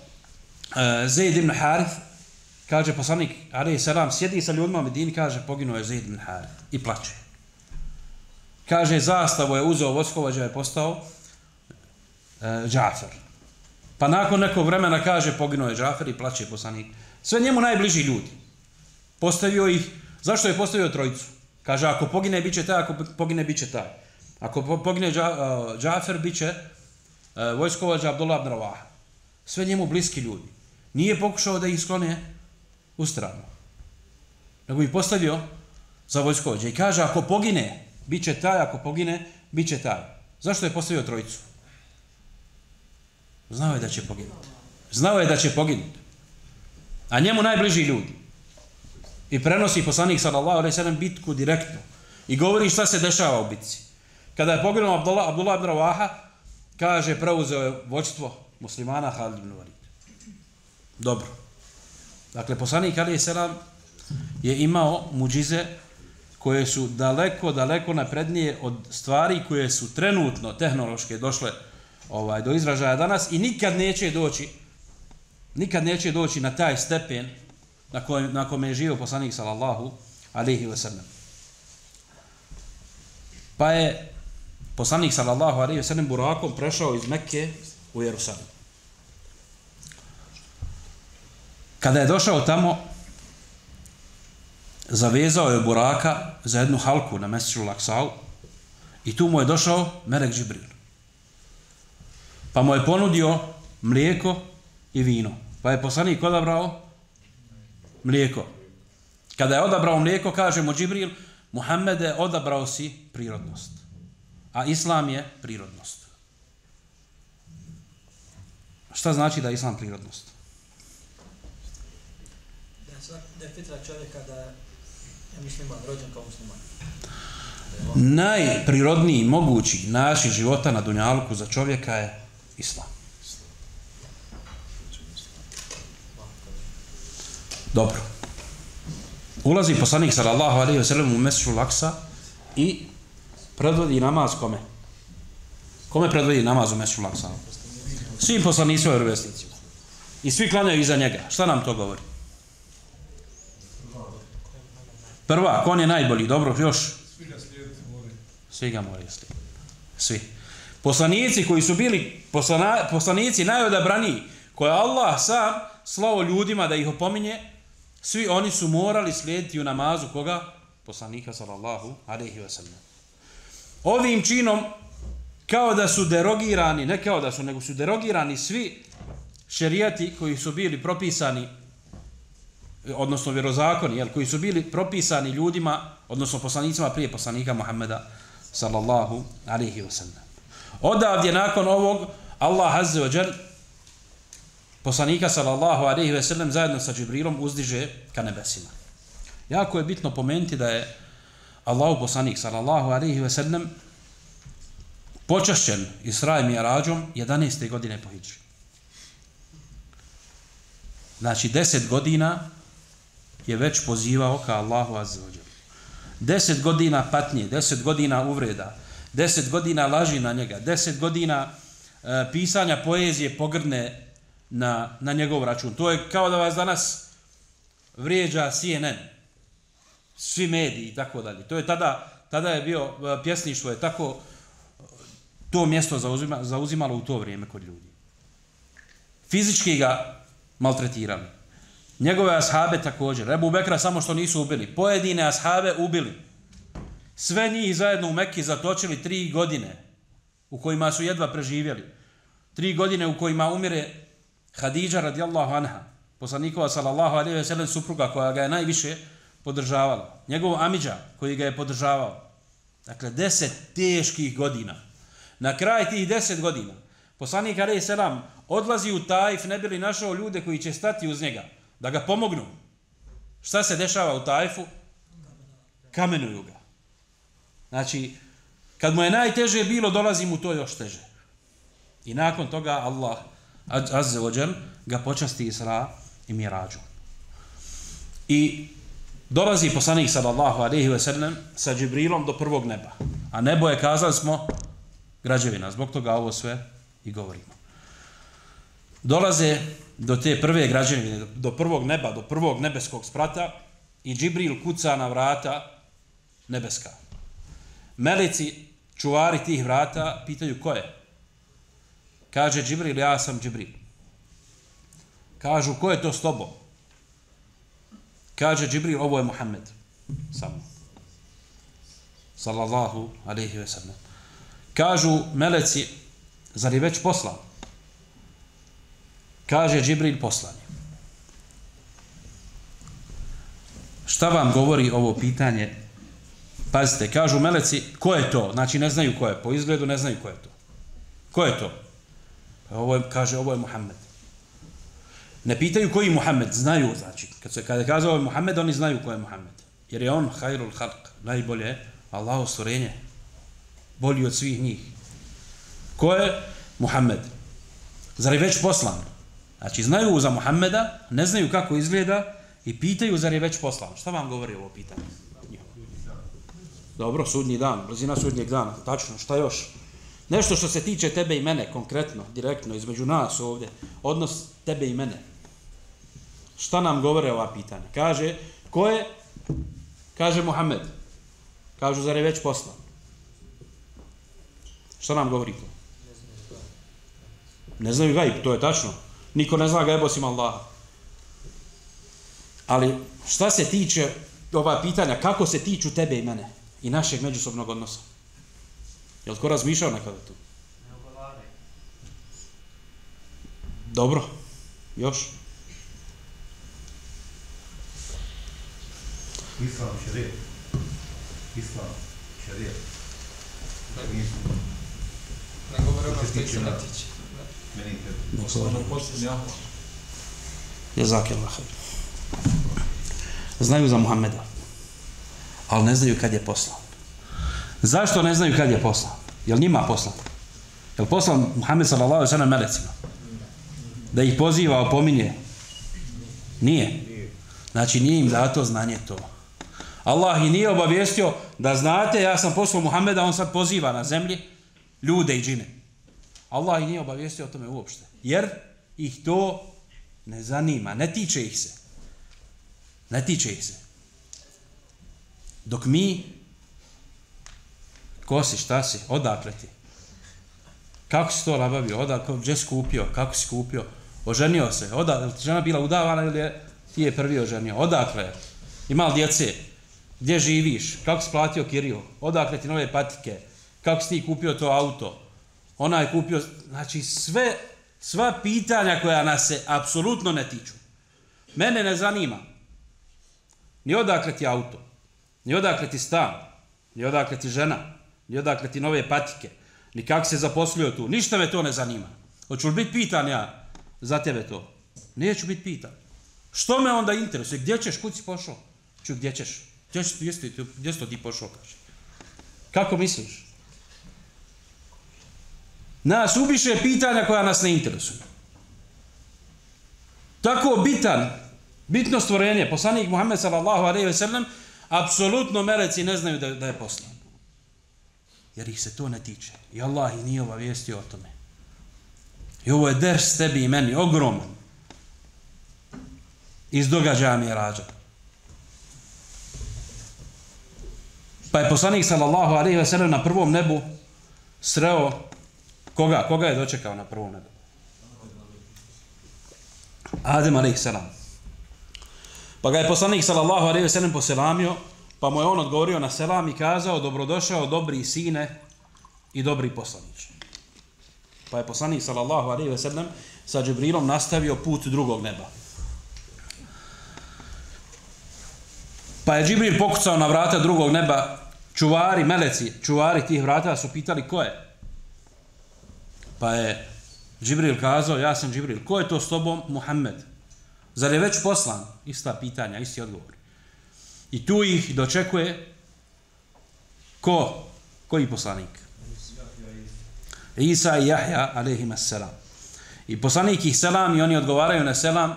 Zaid ibn Harith, kaže poslanik alejhi selam, sjedi sa ljudima u Medini, kaže poginuo je Zaid ibn Harith i plače. Kaže zastavu je uzeo vojskovođa, je postao Džafer. Pa nakon nekog vremena kaže poginuo je Džafer i plače poslanik. Sve njemu najbliži ljudi. Postavio ih. Zašto je postavio trojicu? Kaže ako pogine biće taj, ako pogine biće taj. Ako pogine Džafer biće vojskovođa Abdullah ibn Rawaha. Sve njemu bliski ljudi. Nije pokušao da ih sklone u stranu. Nego ih postavio za vojskovođa. I kaže ako pogine biće taj, ako pogine biće taj. Zašto je postavio trojicu? Znao je da će poginuti. Znao je da će poginuti. A njemu najbliži ljudi. I prenosi poslanik sallallahu alejhi ve sellem bitku direktno. I govori šta se dešava u bitci. Kada je poginuo Abdullah ibn Rawaha, kaže preuzeo je vođstvo muslimana Halid ibn Walid. Dobro. Dakle, poslanik alejhi selam je imao muđize koje su daleko naprednije od stvari koje su trenutno tehnološke došle do izražaja danas i nikad neće doći na taj stepen na kome je živio poslanik sallallahu alejhi ve sellem. Pa je poslanik sallallahu alejhi ve sellem burakom prešao iz Mekke u Jerusalim. Kada je došao tamo, zavezao je buraka za jednu halku na Mesdžidu Aksau i tu mu je došao melek Džibril. Pa mu je ponudio mlijeko i vino. Pa je poslanik odabrao mlijeko. Kada je odabrao mlijeko, kaže mu Džibril, Muhammede, odabrao si prirodnost. A Islam je prirodnost. Šta znači da je Islam prirodnost? Da je fitra čovjeka da je musliman, rođen kao musliman. Najprirodniji mogući način života na dunjalku za čovjeka je Islam. Dobro. Ulazi poslanik sallallahu alejhi ve sellem u Mesdžidul Aksa i predvodi namaz kome? Kome predvodi namaz u Mesdžidul Aksa? Svim poslanicima i vjerovjesnicima. I svi klanjaju iza njega. Šta nam to govori? Prva, on je najbolji, dobro, još? Svi ga slijediti moraju. Svi ga moraju slijediti. Svi. Poslanici koji su bili poslanici najodabraniji, koje Allah sam slao ljudima da ih opominje, svi oni su morali slijediti u namazu koga? Poslanika sallallahu alejhi ve sellem. Ovim činom kao da su derogirani, ne kao da su, nego su derogirani svi šerijati koji su bili propisani, odnosno vjerozakoni, koji su bili propisani ljudima, odnosno poslanicima prije poslanika Muhammeda sallallahu alejhi ve sellem. Odavdje nakon ovog Allah azza wa džal poslanika sallallahu alejhi ve sellem zajedno sa Džibrilom uzdiže ka nebesima. Jako je bitno pomenuti da je Allahov poslanik sallallahu alejhi ve sellem počašćen Isra i Mi'rađom 11. godine po hidži. Znači 10 godina je već pozivao ka Allahu azza wa džal. 10 godina patnje, 10 godina uvreda, 10 godina laži na njega, 10 godina pisanja poezije pogrdne na njegov račun. To je kao da vas danas vrijeđa CNN, svi mediji i tako dalje. To je tada je bio pjesništvo je tako to mjesto zauzimalo u to vrijeme kod ljudi. Fizički ga maltretirali. Njegove ashabe također. Ebu Bekra samo što nisu ubili. Pojedine ashabe ubili. Sve njih zajedno u Mekki zatočili 3 godine u kojima su jedva preživjeli. 3 godine u kojima umire Hadidža radijallahu anha, poslanikova sallallahu alejhi ve sellem supruga koja ga je najviše podržavala. Njegov amidža koji ga je podržavao. Dakle 10 teških godina. Na kraj tih 10 godina poslanik alejhi selam odlazi u Taif ne bi li našao ljude koji će stati uz njega da ga pomognu. Šta se dešava u Taifu? Kamenuju ga. Znači, kad mu je najteže bilo, dolazi mu to još teže. I nakon toga Allah azza wa džal ga počasti Isra i Mi'rađom. I dolazi poslanik sallallahu alejhi ve sellem sa Džibrilom do prvog neba. A nebo je, kazali smo, građevina. Zbog toga ovo sve i govorimo. Dolaze do te prve građevine, do prvog neba, do prvog nebeskog sprata i Džibril kuca na vrata nebeska. Meleci, čuvari tih vrata, pitaju ko je. Kaže Džibril, ja sam Džibril. Kažu, ko je to s tobom? Kaže Džibril, ovo je Muhammed. Samo. Sallallahu alejhi ve sellem. Kažu meleci, zar je već poslan? Kaže Džibril, poslan je. Šta vam govori ovo pitanje? Pazite, kažu meleci, ko je to? Znači ne znaju ko je, po izgledu ne znaju ko je to. Ko je to? Kaže, ovo je Muhammed. Ne pitaju koji je Muhammed, znaju, znači, kada kaže ovo je Muhammed, oni znaju ko je Muhammed. Jer je on hajrul halq, najbolje Allaho stvorenje, bolji od svih njih. Ko je Muhammed? Zar je već poslan? Znači, znaju za Muhammeda, ne znaju kako izgleda i pitaju zar je već poslan. Šta vam govori ovo pitanje? Dobro, sudnji dan, blizina sudnjeg dana, tačno, šta još? Nešto što se tiče tebe i mene, konkretno, direktno, između nas ovdje, odnos tebe i mene. Šta nam govore ova pitanja? Kaže, ko je? Kaže Muhammed. Kažu, zar je već poslan? Šta nam govori to? Ne znaju gajb, to je tačno. Niko ne zna gajb osim Allaha. Ali šta se tiče ova pitanja, kako se tiču tebe i mene i našeg međusobnog odnosa? Je li ko razmišljao nekada tu? Dobro. Još? Islam šerijet. Ne govore ono što se ne tiče. Meni Jezakillah. Znaju za Muhammeda, ali ne znaju kad je poslan. Zašto ne znaju kad je poslan? Jel njima poslan? Jel poslan Muhammed sallallahu alejhi ve sellem melecima? Da ih poziva, opominje? Nije. Znači nije im dato znanje to. Allah ih nije obavijestio da znate, ja sam poslao Muhammeda, on sad poziva na zemlji ljude i džine. Allah ih nije obavijestio o tome uopšte. Jer ih to ne zanima, ne tiče ih se. Ne tiče ih se. Dok mi, ko si, šta si, odakle ti? Kako si to nabavio? Odakle, gdje si kupio? Kako si kupio? Oženio se? Odakle, žena bila udavana ili ti je prvi oženio? Odakle? Ima li djece? Gdje živiš? Kako si platio kiriju? Odakle ti nove patike? Kako si ti kupio to auto? Ona je kupio, znači sva pitanja koja nas se apsolutno ne tiču. Mene ne zanima. Ni odakle ti auto, ni odakle ti stan, ni odakle ti žena, ni odakle ti nove patike, ni kako se zaposlio tu. Ništa me to ne zanima. Hoću li biti pitan ja za tebe to? Neću biti pitan. Što me onda interesuje? Gdje ćeš? Kud si pošao? Gdje ćeš? Gdje si to ti pošao? Kaže. Kako misliš? Nas ubiše pitanja koja nas ne interesuju. Tako bitno stvorenje, poslanik Muhammed sallallahu alejhi ve sellem, apsolutno meleci ne znaju da je poslan. Jer ih se to ne tiče. I Allah ih nije obavijestio o tome. I ovo je ders tebi i meni, ogroman. Iz događaja Mirađa. Pa je poslanik sallallahu alejhi ve sellem na prvom nebu sreo koga? Koga je dočekao na prvom nebu? Adem alejhi selam. Pa ga je poslanik sallallahu alejhi ve sellem poselamio, pa mu je on odgovorio na selam i kazao: dobrodošao dobri sine i dobri poslaniče. Pa je poslanik sallallahu alejhi ve sellem sa Džibrilom nastavio put drugog neba. Pa je Džibril pokucao na vrata drugog neba, čuvari, meleci, čuvari tih vrata su pitali ko je. Pa je Džibril kazao: ja sam Džibril. Ko je to s tobom? Muhammed. Zar je već poslan? Ista pitanja, isti odgovor. I tu ih dočekuje ko? Koji poslanik? Isa i Jahja alejhima selam. I poslanik ih selam i oni odgovaraju na selam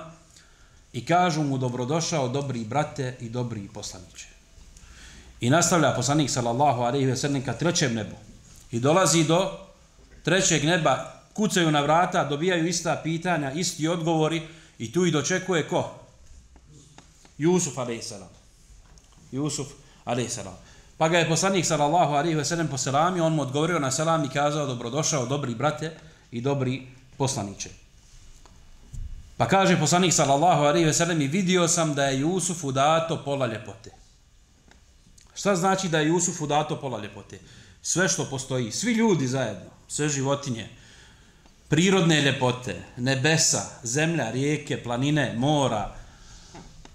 i kažu mu: dobrodošao dobri brate i dobri poslaniče. I nastavlja poslanik sallallahu alejhi ve sellem ka trećem nebu. I dolazi do trećeg neba, kucaju na vrata, dobijaju ista pitanja, isti odgovori i tu ih dočekuje ko? Jusuf alejselam. Jusuf alejselam. Pa ga je poslanik sallallahu alejhi ve sellem poselamio, on mu odgovorio na selam i kazao: dobrodošao dobri brate i dobri poslaniče. Pa kaže poslanik sallallahu alejhi ve sellem: i vidio sam da je Jusufu dato pola ljepote. Šta znači da je Jusufu dato pola ljepote? Sve što postoji, svi ljudi zajedno, sve životinje, prirodne ljepote, nebesa, zemlja, rijeke, planine, mora,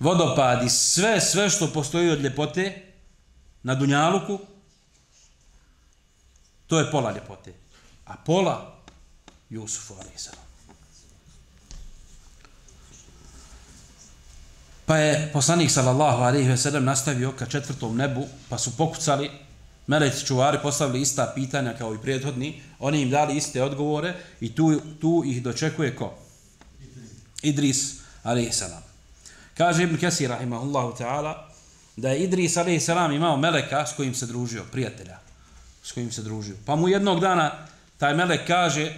vodopadi, sve što postoji od ljepote na dunjaluku, to je pola ljepote. A pola Jusufu alejselam. Pa je poslanik sallallahu alejhi ve sellem nastavio ka četvrtom nebu, pa su pokucali, meleci čuvari postavili ista pitanja kao i prethodni, oni im dali iste odgovore i tu ih dočekuje ko? Idris alejselam. Kaže Ibn Kesir rahimahullahu ta'ala da je Idris alejselam imao meleka s kojim se družio, prijatelja s kojim se družio. Pa mu jednog dana taj melek kaže: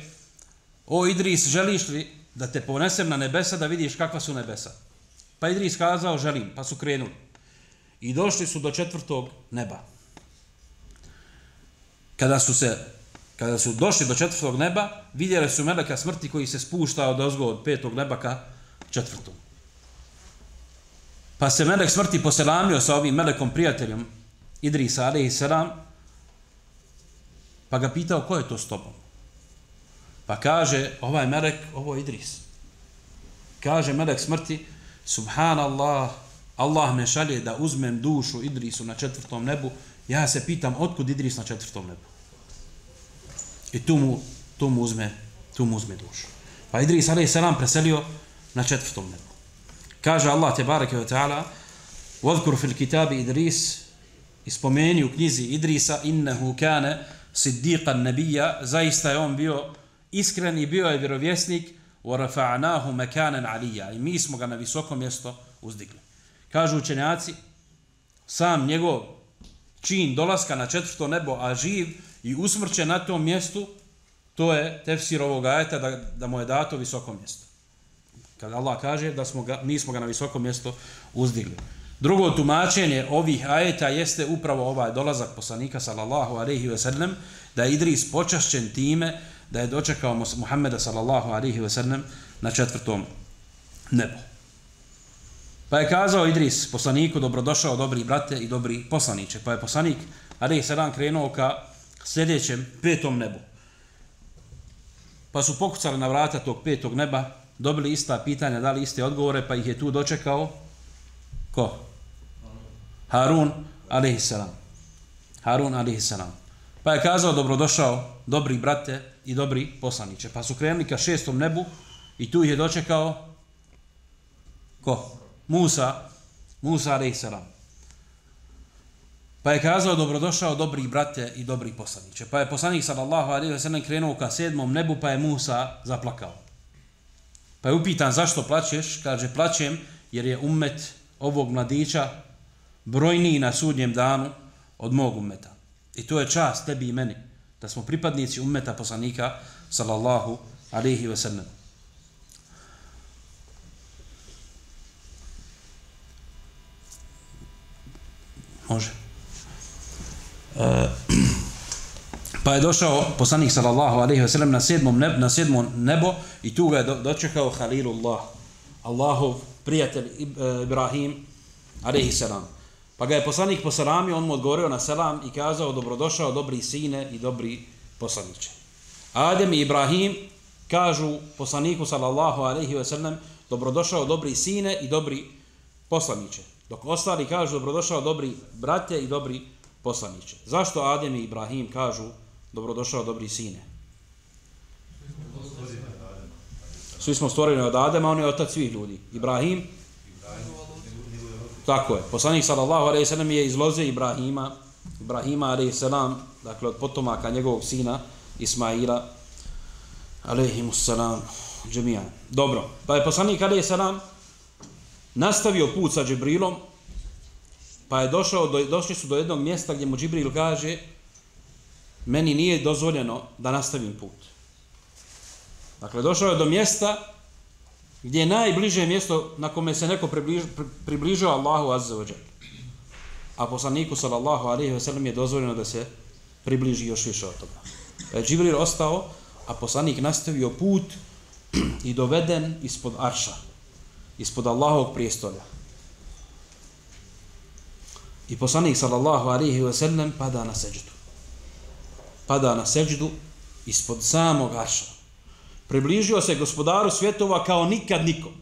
o Idris, želiš li da te ponesem na nebesa da vidiš kakva su nebesa? Pa Idris kazao: želim, pa su krenuli. I došli su do četvrtog neba. Kada su došli do četvrtog neba, vidjeli su meleka smrti koji se spušta odozgo od petog neba ka četvrtom. Pa se melek smrti poselamio sa ovim melekom prijateljem Idrisa alejhi selam, pa ga pitao ko je to s tobom. Pa kaže ovaj melek, ovo je Idris. Kaže melek smrti, subhanallah, Allah me šalje da uzmem dušu Idrisu na 4. nebu. Ja se pitam otkud Idris na 4. nebu. I tu mu uzme dušu. Pa Idris alejhi selam preselio na 4. nebu. Kaže Allah tebareke ve taala: "Wadhkur fil kitabi Idris", ispomeni u knjizi Idrisa, innehu kana siddiqan nabiyya, zaista je on bio iskren i bio je vjerovjesnik, wa rafa'nahu makanan aliyya, i mi smo ga na visoko mjesto uzdigli. Kažu učenjaci, sam njegov čin dolaska na 4. nebo, a živ i usmrćen na tom mjestu, to je tefsir ovog ajeta da mu je dato visoko mjesto. Kada Allah kaže da mi smo ga na visoko mjesto uzdigli. Drugo tumačenje ovih ajeta jeste upravo ovaj dolazak poslanika sallallahu alejhi ve sellem, da je Idris počašćen time da je dočekao Muhameda sallallahu alejhi ve sellem na 4. nebu. Pa je kazao Idris poslaniku: "Dobrodošao, dobri brate i dobri poslaniče." Pa je poslanik alejhi selam krenuo ka sljedećem 5. nebu. Pa su pokucali na vrata tog 5. neba, dobili ista pitanja, dali iste odgovore, pa ih je tu dočekao ko? Harun alejhi selam. Harun alejhi selam. Pa je kazao: "Dobrodošao, dobri brate i dobri poslaniče." Pa su krenuli ka 6. nebu i tu ih je dočekao ko? Musa alejhi selam. Pa je kazao: "Dobrodošao, dobri brate i dobri poslaniče." Pa je poslanik sallallahu alejhi ve sellem krenuo ka 7. nebu, pa je Musa zaplakao. Pa je upitan: "Zašto plačeš?" Kaže: "Plačem jer je ummet ovog mladića brojniji na sudnjem danu od mog ummeta. I to je čast tebi i meni, da smo pripadnici ummeta poslanika sallallahu alejhi ve sellem." Može. Pa je došao poslanik sallallahu alejhi ve sellem na 7. nebo i tu ga je dočekao Halilullah, Allahov prijatelj Ibrahim alejhi selam. Pa ga je poslanik poselamio, on mu odgovorio na selam i kazao: "Dobrodošao, dobri sine i dobri poslaniče." Adem i Ibrahim kažu poslaniku sallallahu alejhi ve sellem: "Dobrodošao, dobri sine i dobri poslaniče." Dok ostali kažu: "Dobrodošao, dobri brate i dobri poslaniče." Zašto Adem i Ibrahim kažu: "Dobrodošao, dobri sine"? Svi smo stvoreni od Adema, on je otac svih ljudi. Ibrahim? Tako je. Poslanik sallallahu alejhi ve sellem je iz loze Ibrahima alejhi selam, dakle od potomaka njegovog sina Ismaila alejhimus selam džemijan. Dobro. Pa je poslanik alejhi selam nastavio put sa Džibrilom, pa je došli su do jednog mjesta gdje mu Džibril kaže: "Meni nije dozvoljeno da nastavim put." Dakle, došao je do mjesta gdje je najbliže mjesto na kome se neko približio Allahu azza wa dželle. A poslaniku sallallahu alejhi ve sellem je dozvoljeno da se približi još više od toga. Pa je Džibril ostao, a poslanik nastavio put i doveden ispod arša, ispod Allahovog prijestolja. I poslanik sallallahu alejhi ve sellem pada na seđdu. Pada na seđdu ispod samog arša. Približio se gospodaru svjetova kao nikad nikom.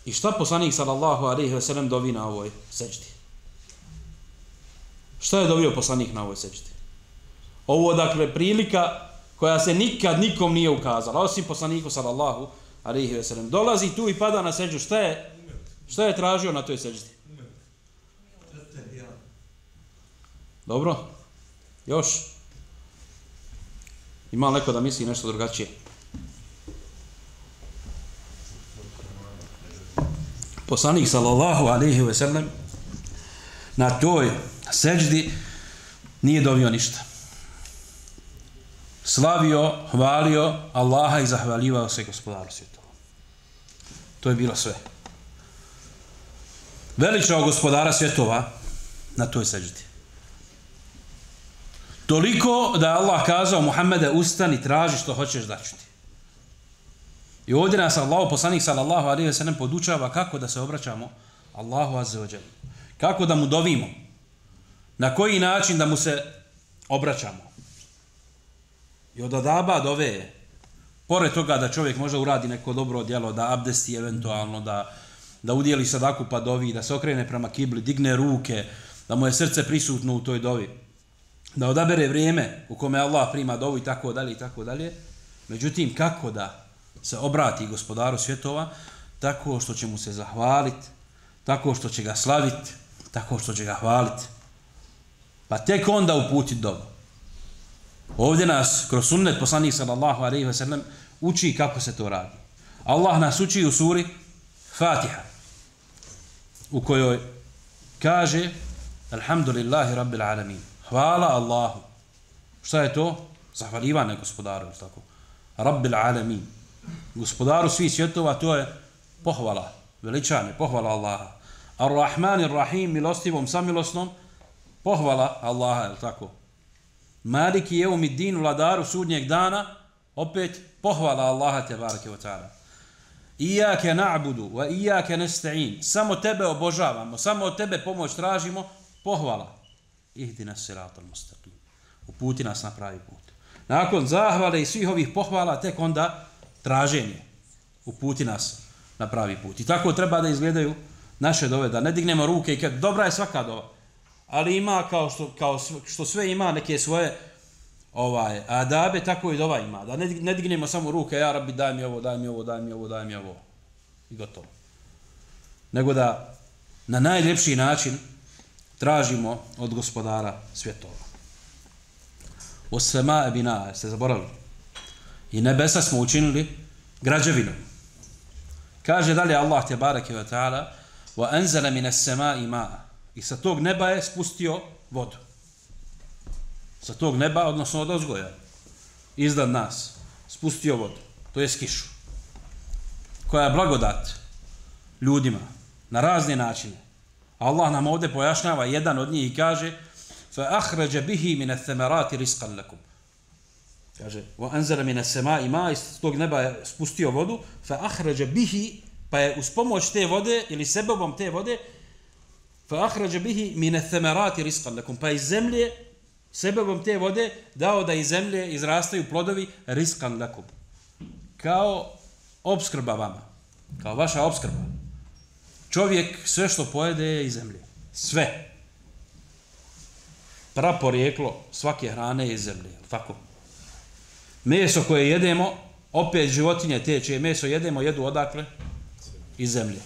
I šta poslanik sallallahu alejhi ve sellem dovi na ovoj seđdi? Šta je dovio poslanik na ovoj seđdi? Ovo, dakle, prilika koja se nikad nikom nije ukazala, osim poslaniku sallallahu alejhi ve sellem. Dolazi tu i pada na seđdu. Šta je tražio na toj seđdi? Dobro? Još? Ima neko da misli nešto drugačije? Poslanik sallallahu alejhi ve sellem na toj seđdi nije dovio ništa. Slavio, hvalio Allaha i zahvaljivao se gospodaru svjetova. To je bilo sve. Veličao gospodara svjetova na toj seđdi. Toliko da je Allah kazao: "Muhammede, ustani, traži što hoćeš da ću ti." I ovdje nas Allahu poslanik sallallahu alejhi ve sellem podučava kako da se obraćamo Allahu azza wa dželle. Kako da mu dovimo. Na koji način da mu se obraćamo. I od adaba dove je, pored toga da čovjek možda uradi neko dobro djelo, da abdesti eventualno, da udjeli sadaku pa dovi, da se okrene prema kibli, digne ruke, da mu je srce prisutno u toj dovi, da odabere vrijeme u kome Allah prima dovu i tako dalje i tako dalje. Međutim, kako da se obrati gospodaru svjetova? Tako što će mu se zahvaliti, tako što će ga slaviti, tako što će ga hvaliti. Pa tek onda uputiti dovu. Ovdje nas kroz sunnet poslanik sallallahu alejhi ve sellem uči kako se to radi. Allah nas uči u suri Fatiha, u kojoj kaže Alhamdulillahi rabbil alamin. Hvala Allahu. Šta je to? Zahvaljivanje gospodaru, tako. Rabbil alamin. Gospodaru svih svjetova, to je pohvala, veličanje, pohvala Allaha. Ar-Rahmanir Rahim, milostivom, samilosnom, pohvala Allaha, tako. Maliki jeumiddin, vladaru sudnjeg dana, opet pohvala Allaha tebareke ve taala. Iyake na'budu wa iyake nasta'in. Samo tebe obožavamo, samo od tebe pomoć tražimo, pohvala. Ihdinas siratal mustaqim. Uputi nas na pravi put. Nakon zahvale i svih ovih pohvala, tek onda traženje. Uputi nas na pravi put. I tako treba da izgledaju naše dove, da ne dignemo ruke i kad dobra je svaka dova. Ali ima kao što sve ima neke svoje adabe, tako i dova ima. Da ne dignemo samo ruke, ja Rabbi daj mi ovo, daj mi ovo, daj mi ovo, daj mi ovo. I gotovo. Nego da na najljepši način tražimo od gospodara svjetova. Os-sema'a bina'a, ste zaboravili. I nebesa smo učinili građevinom. Kaže dalje Allah tebareke ve taala: "Wa anzala minas sema'i ma'a." I sa tog neba je spustio vodu. Sa tog neba, odnosno od ozgoja, iznad nas, spustio vodu. To je kišu. Koja je blagodat ljudima na razne načine. Allah nam ovdje pojašnjava jedan od njih i kaže: فَأَخْرَجَ بِهِ مِنَ الثَّمَرَاتِ رِزْقًا لَكُمْ. Kaže: وَأَنْزَلَ مِنَ السَّمَاءِ مَاءً. Iz tog neba je spustio vodu. فَأَخْرَجَ بِهِ. Pa je uz pomoć te vode ili sebebom te vode فَأَخْرَجَ بِهِ مِنَ الثَّمَرَاتِ رِزْقًا لَكُمْ. Pa iz zemlje, sebebom te vode, dao da iz zemlje izrastaju plodovi رِزْقًا لَكُمْ. Kao opskrba vama. Kao vaša opskrba. Čovjek sve što pojede je iz zemlje. Sve. Praporijeklo svake hrane je iz zemlje. Tako. Meso koje jedemo, opet životinje teče, meso jedemo, jedu odakle? Iz zemlje.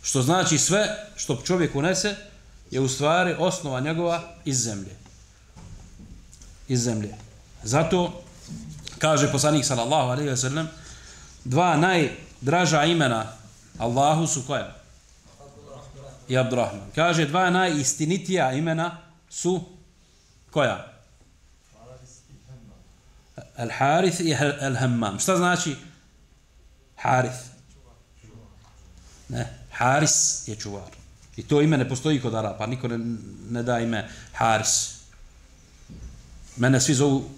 Što znači sve što čovjek unese je u stvari osnova njegova iz zemlje. Iz zemlje. Zato kaže poslanik sallallahu alejhi ve sellem, dva najdraža imena Allahu su koja? I Abdurrahman. Kaže dva najistinitija imena su koja? Al-Harith i Al-Hammam. Šta znači Harith? Ne, Haris je čuvar. I to ime ne postoji kod Arapa, niko ne da ime Haris. Mene svi zovu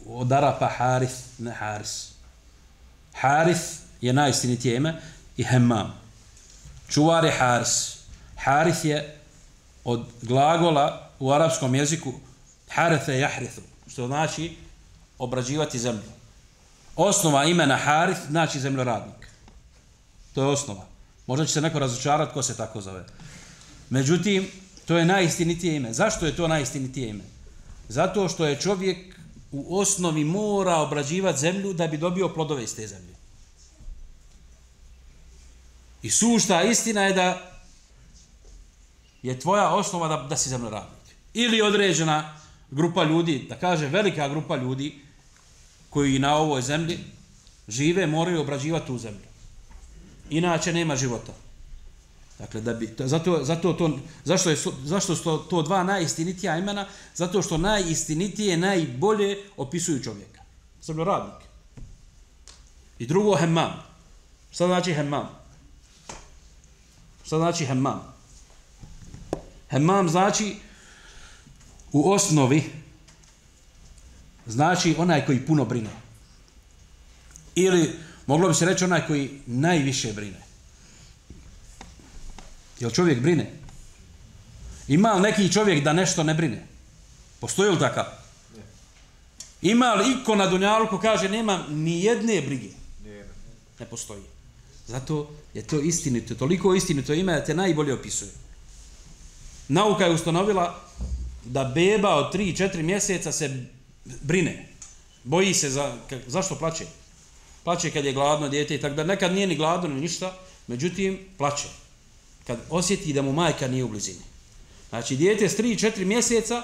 od Arapa Harith, ne Haris. Harith je najistinitije ime i Hammam. Čuvar je Haris. Harith je od glagola u arapskom jeziku harethe jahrithu, što znači obrađivati zemlju. Osnova imena Harith znači zemljoradnik. To je osnova. Možda će se neko razočarati ko se tako zove. Međutim, to je najistinitije ime. Zašto je to najistinitije ime? Zato što je čovjek u osnovi mora obrađivati zemlju da bi dobio plodove iz te zemlje. I sušta istina je da je tvoja osnova da si zemljoradnik. Ili određena grupa ljudi, da kaže velika grupa ljudi koji na ovoj zemlji žive, moraju obrađivati tu zemlju. Inače nema života. Dakle, zašto su to dva najistinitija imena? Zato što najistinitije, najbolje opisuju čovjeka. Zemljoradnik. I drugo, Hammam. Šta znači Hammam? Šta znači Hammam? Hammam znači u osnovi znači onaj koji puno brine. Ili Moglo bi se reći onaj koji najviše brine. Jel čovjek brine? Ima li neki čovjek da nešto ne brine? Postoji li takav? Ima li iko na dunjaluku kaže nema ni jedne brige? Ne postoji. Zato je to istinito, toliko istinito ime da te najbolje opisuje. Nauka je ustanovila da beba od 3-4 mjeseca se brine. Boji se zašto plače? Plače kad je gladno dijete i tako da nekad nije ni gladno ni ništa, međutim plače. Kad osjeti da mu majka nije u blizini. Znači dijete s 3-4 mjeseca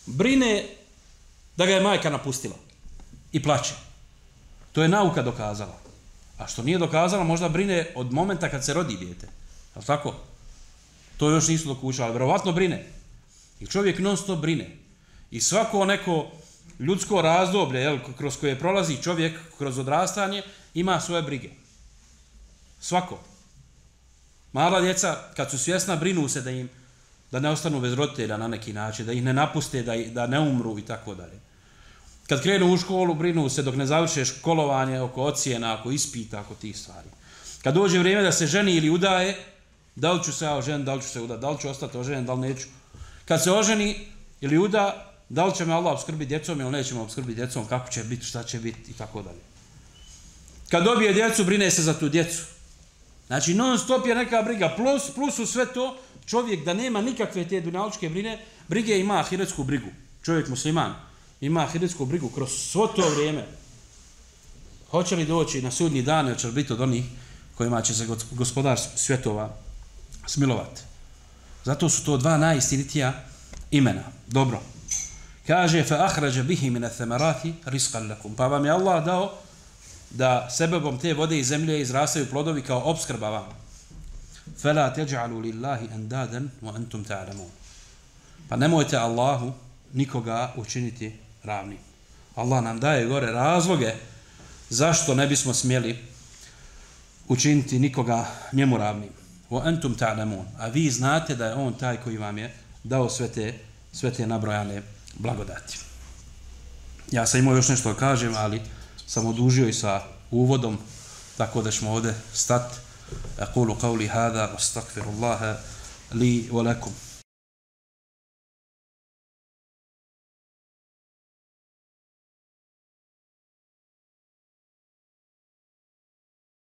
brine da ga je majka napustila i plače. To je nauka dokazala. A što nije dokazala, možda brine od momenta kad se rodi dijete. Je li tako? To još nisu dokučali, verovatno brine. I čovjek non stop brine. I svako neko ljudsko razdoblje, jel, kroz koje prolazi čovjek kroz odrastanje, ima svoje brige. Svako. Mala djeca, kad su svjesna, brinu se da ne ostanu bez roditelja na neki način, da ih ne napuste, da ne umru i tako dalje. Kad krenu u školu, brinu se dok ne završe školovanje oko ocjena, oko ispita, oko tih stvari. Kad dođe vrijeme da se ženi ili udaje, da li ću se ja oženiti, da li ću se udati, da li ću ostati oženjen, da li neću. Kad se oženi ili uda, da li će me Allah obskrbiti djecom ili neće me obskrbiti djecom, kako će biti, šta će biti i tako dalje. Kad dobije djecu, brine se za tu djecu. Znači non stop je neka briga, plus u sve to čovjek da nema nikakve te dunjalučke brige ima ahiretsku brigu. Čovjek musliman ima ahiretsku brigu kroz svo to vrijeme. Hoće li doći na sudnji dan, hoće li biti od onih kojima će se gospodar svjetova smilovati. Zato su to dva najistinitija imena. Dobro. Kaže fa akhraja bihi min ath-thamarati rizqan lakum. Pa vam je Allah dao da sebebom te vode iz zemlje izrastaju plodovi kao opskrba vama. Fala taj'alu lillahi andadan wa antum ta'lamun. Pa nemojte Allahu nikoga učiniti ravnim. Allah nam daje gore razloge zašto ne bismo smjeli učiniti nikoga njemu ravnim. Wa antum ta'lamun. A vi znate da je on taj koji vam je dao sve te nabrojane blagodati. Ja sam imao još nešto da kažem, ali sam odužio i sa uvodom, tako da ćemo ovdje stati. Aqulu qawli hada, astaghfirullaha li wa lakum.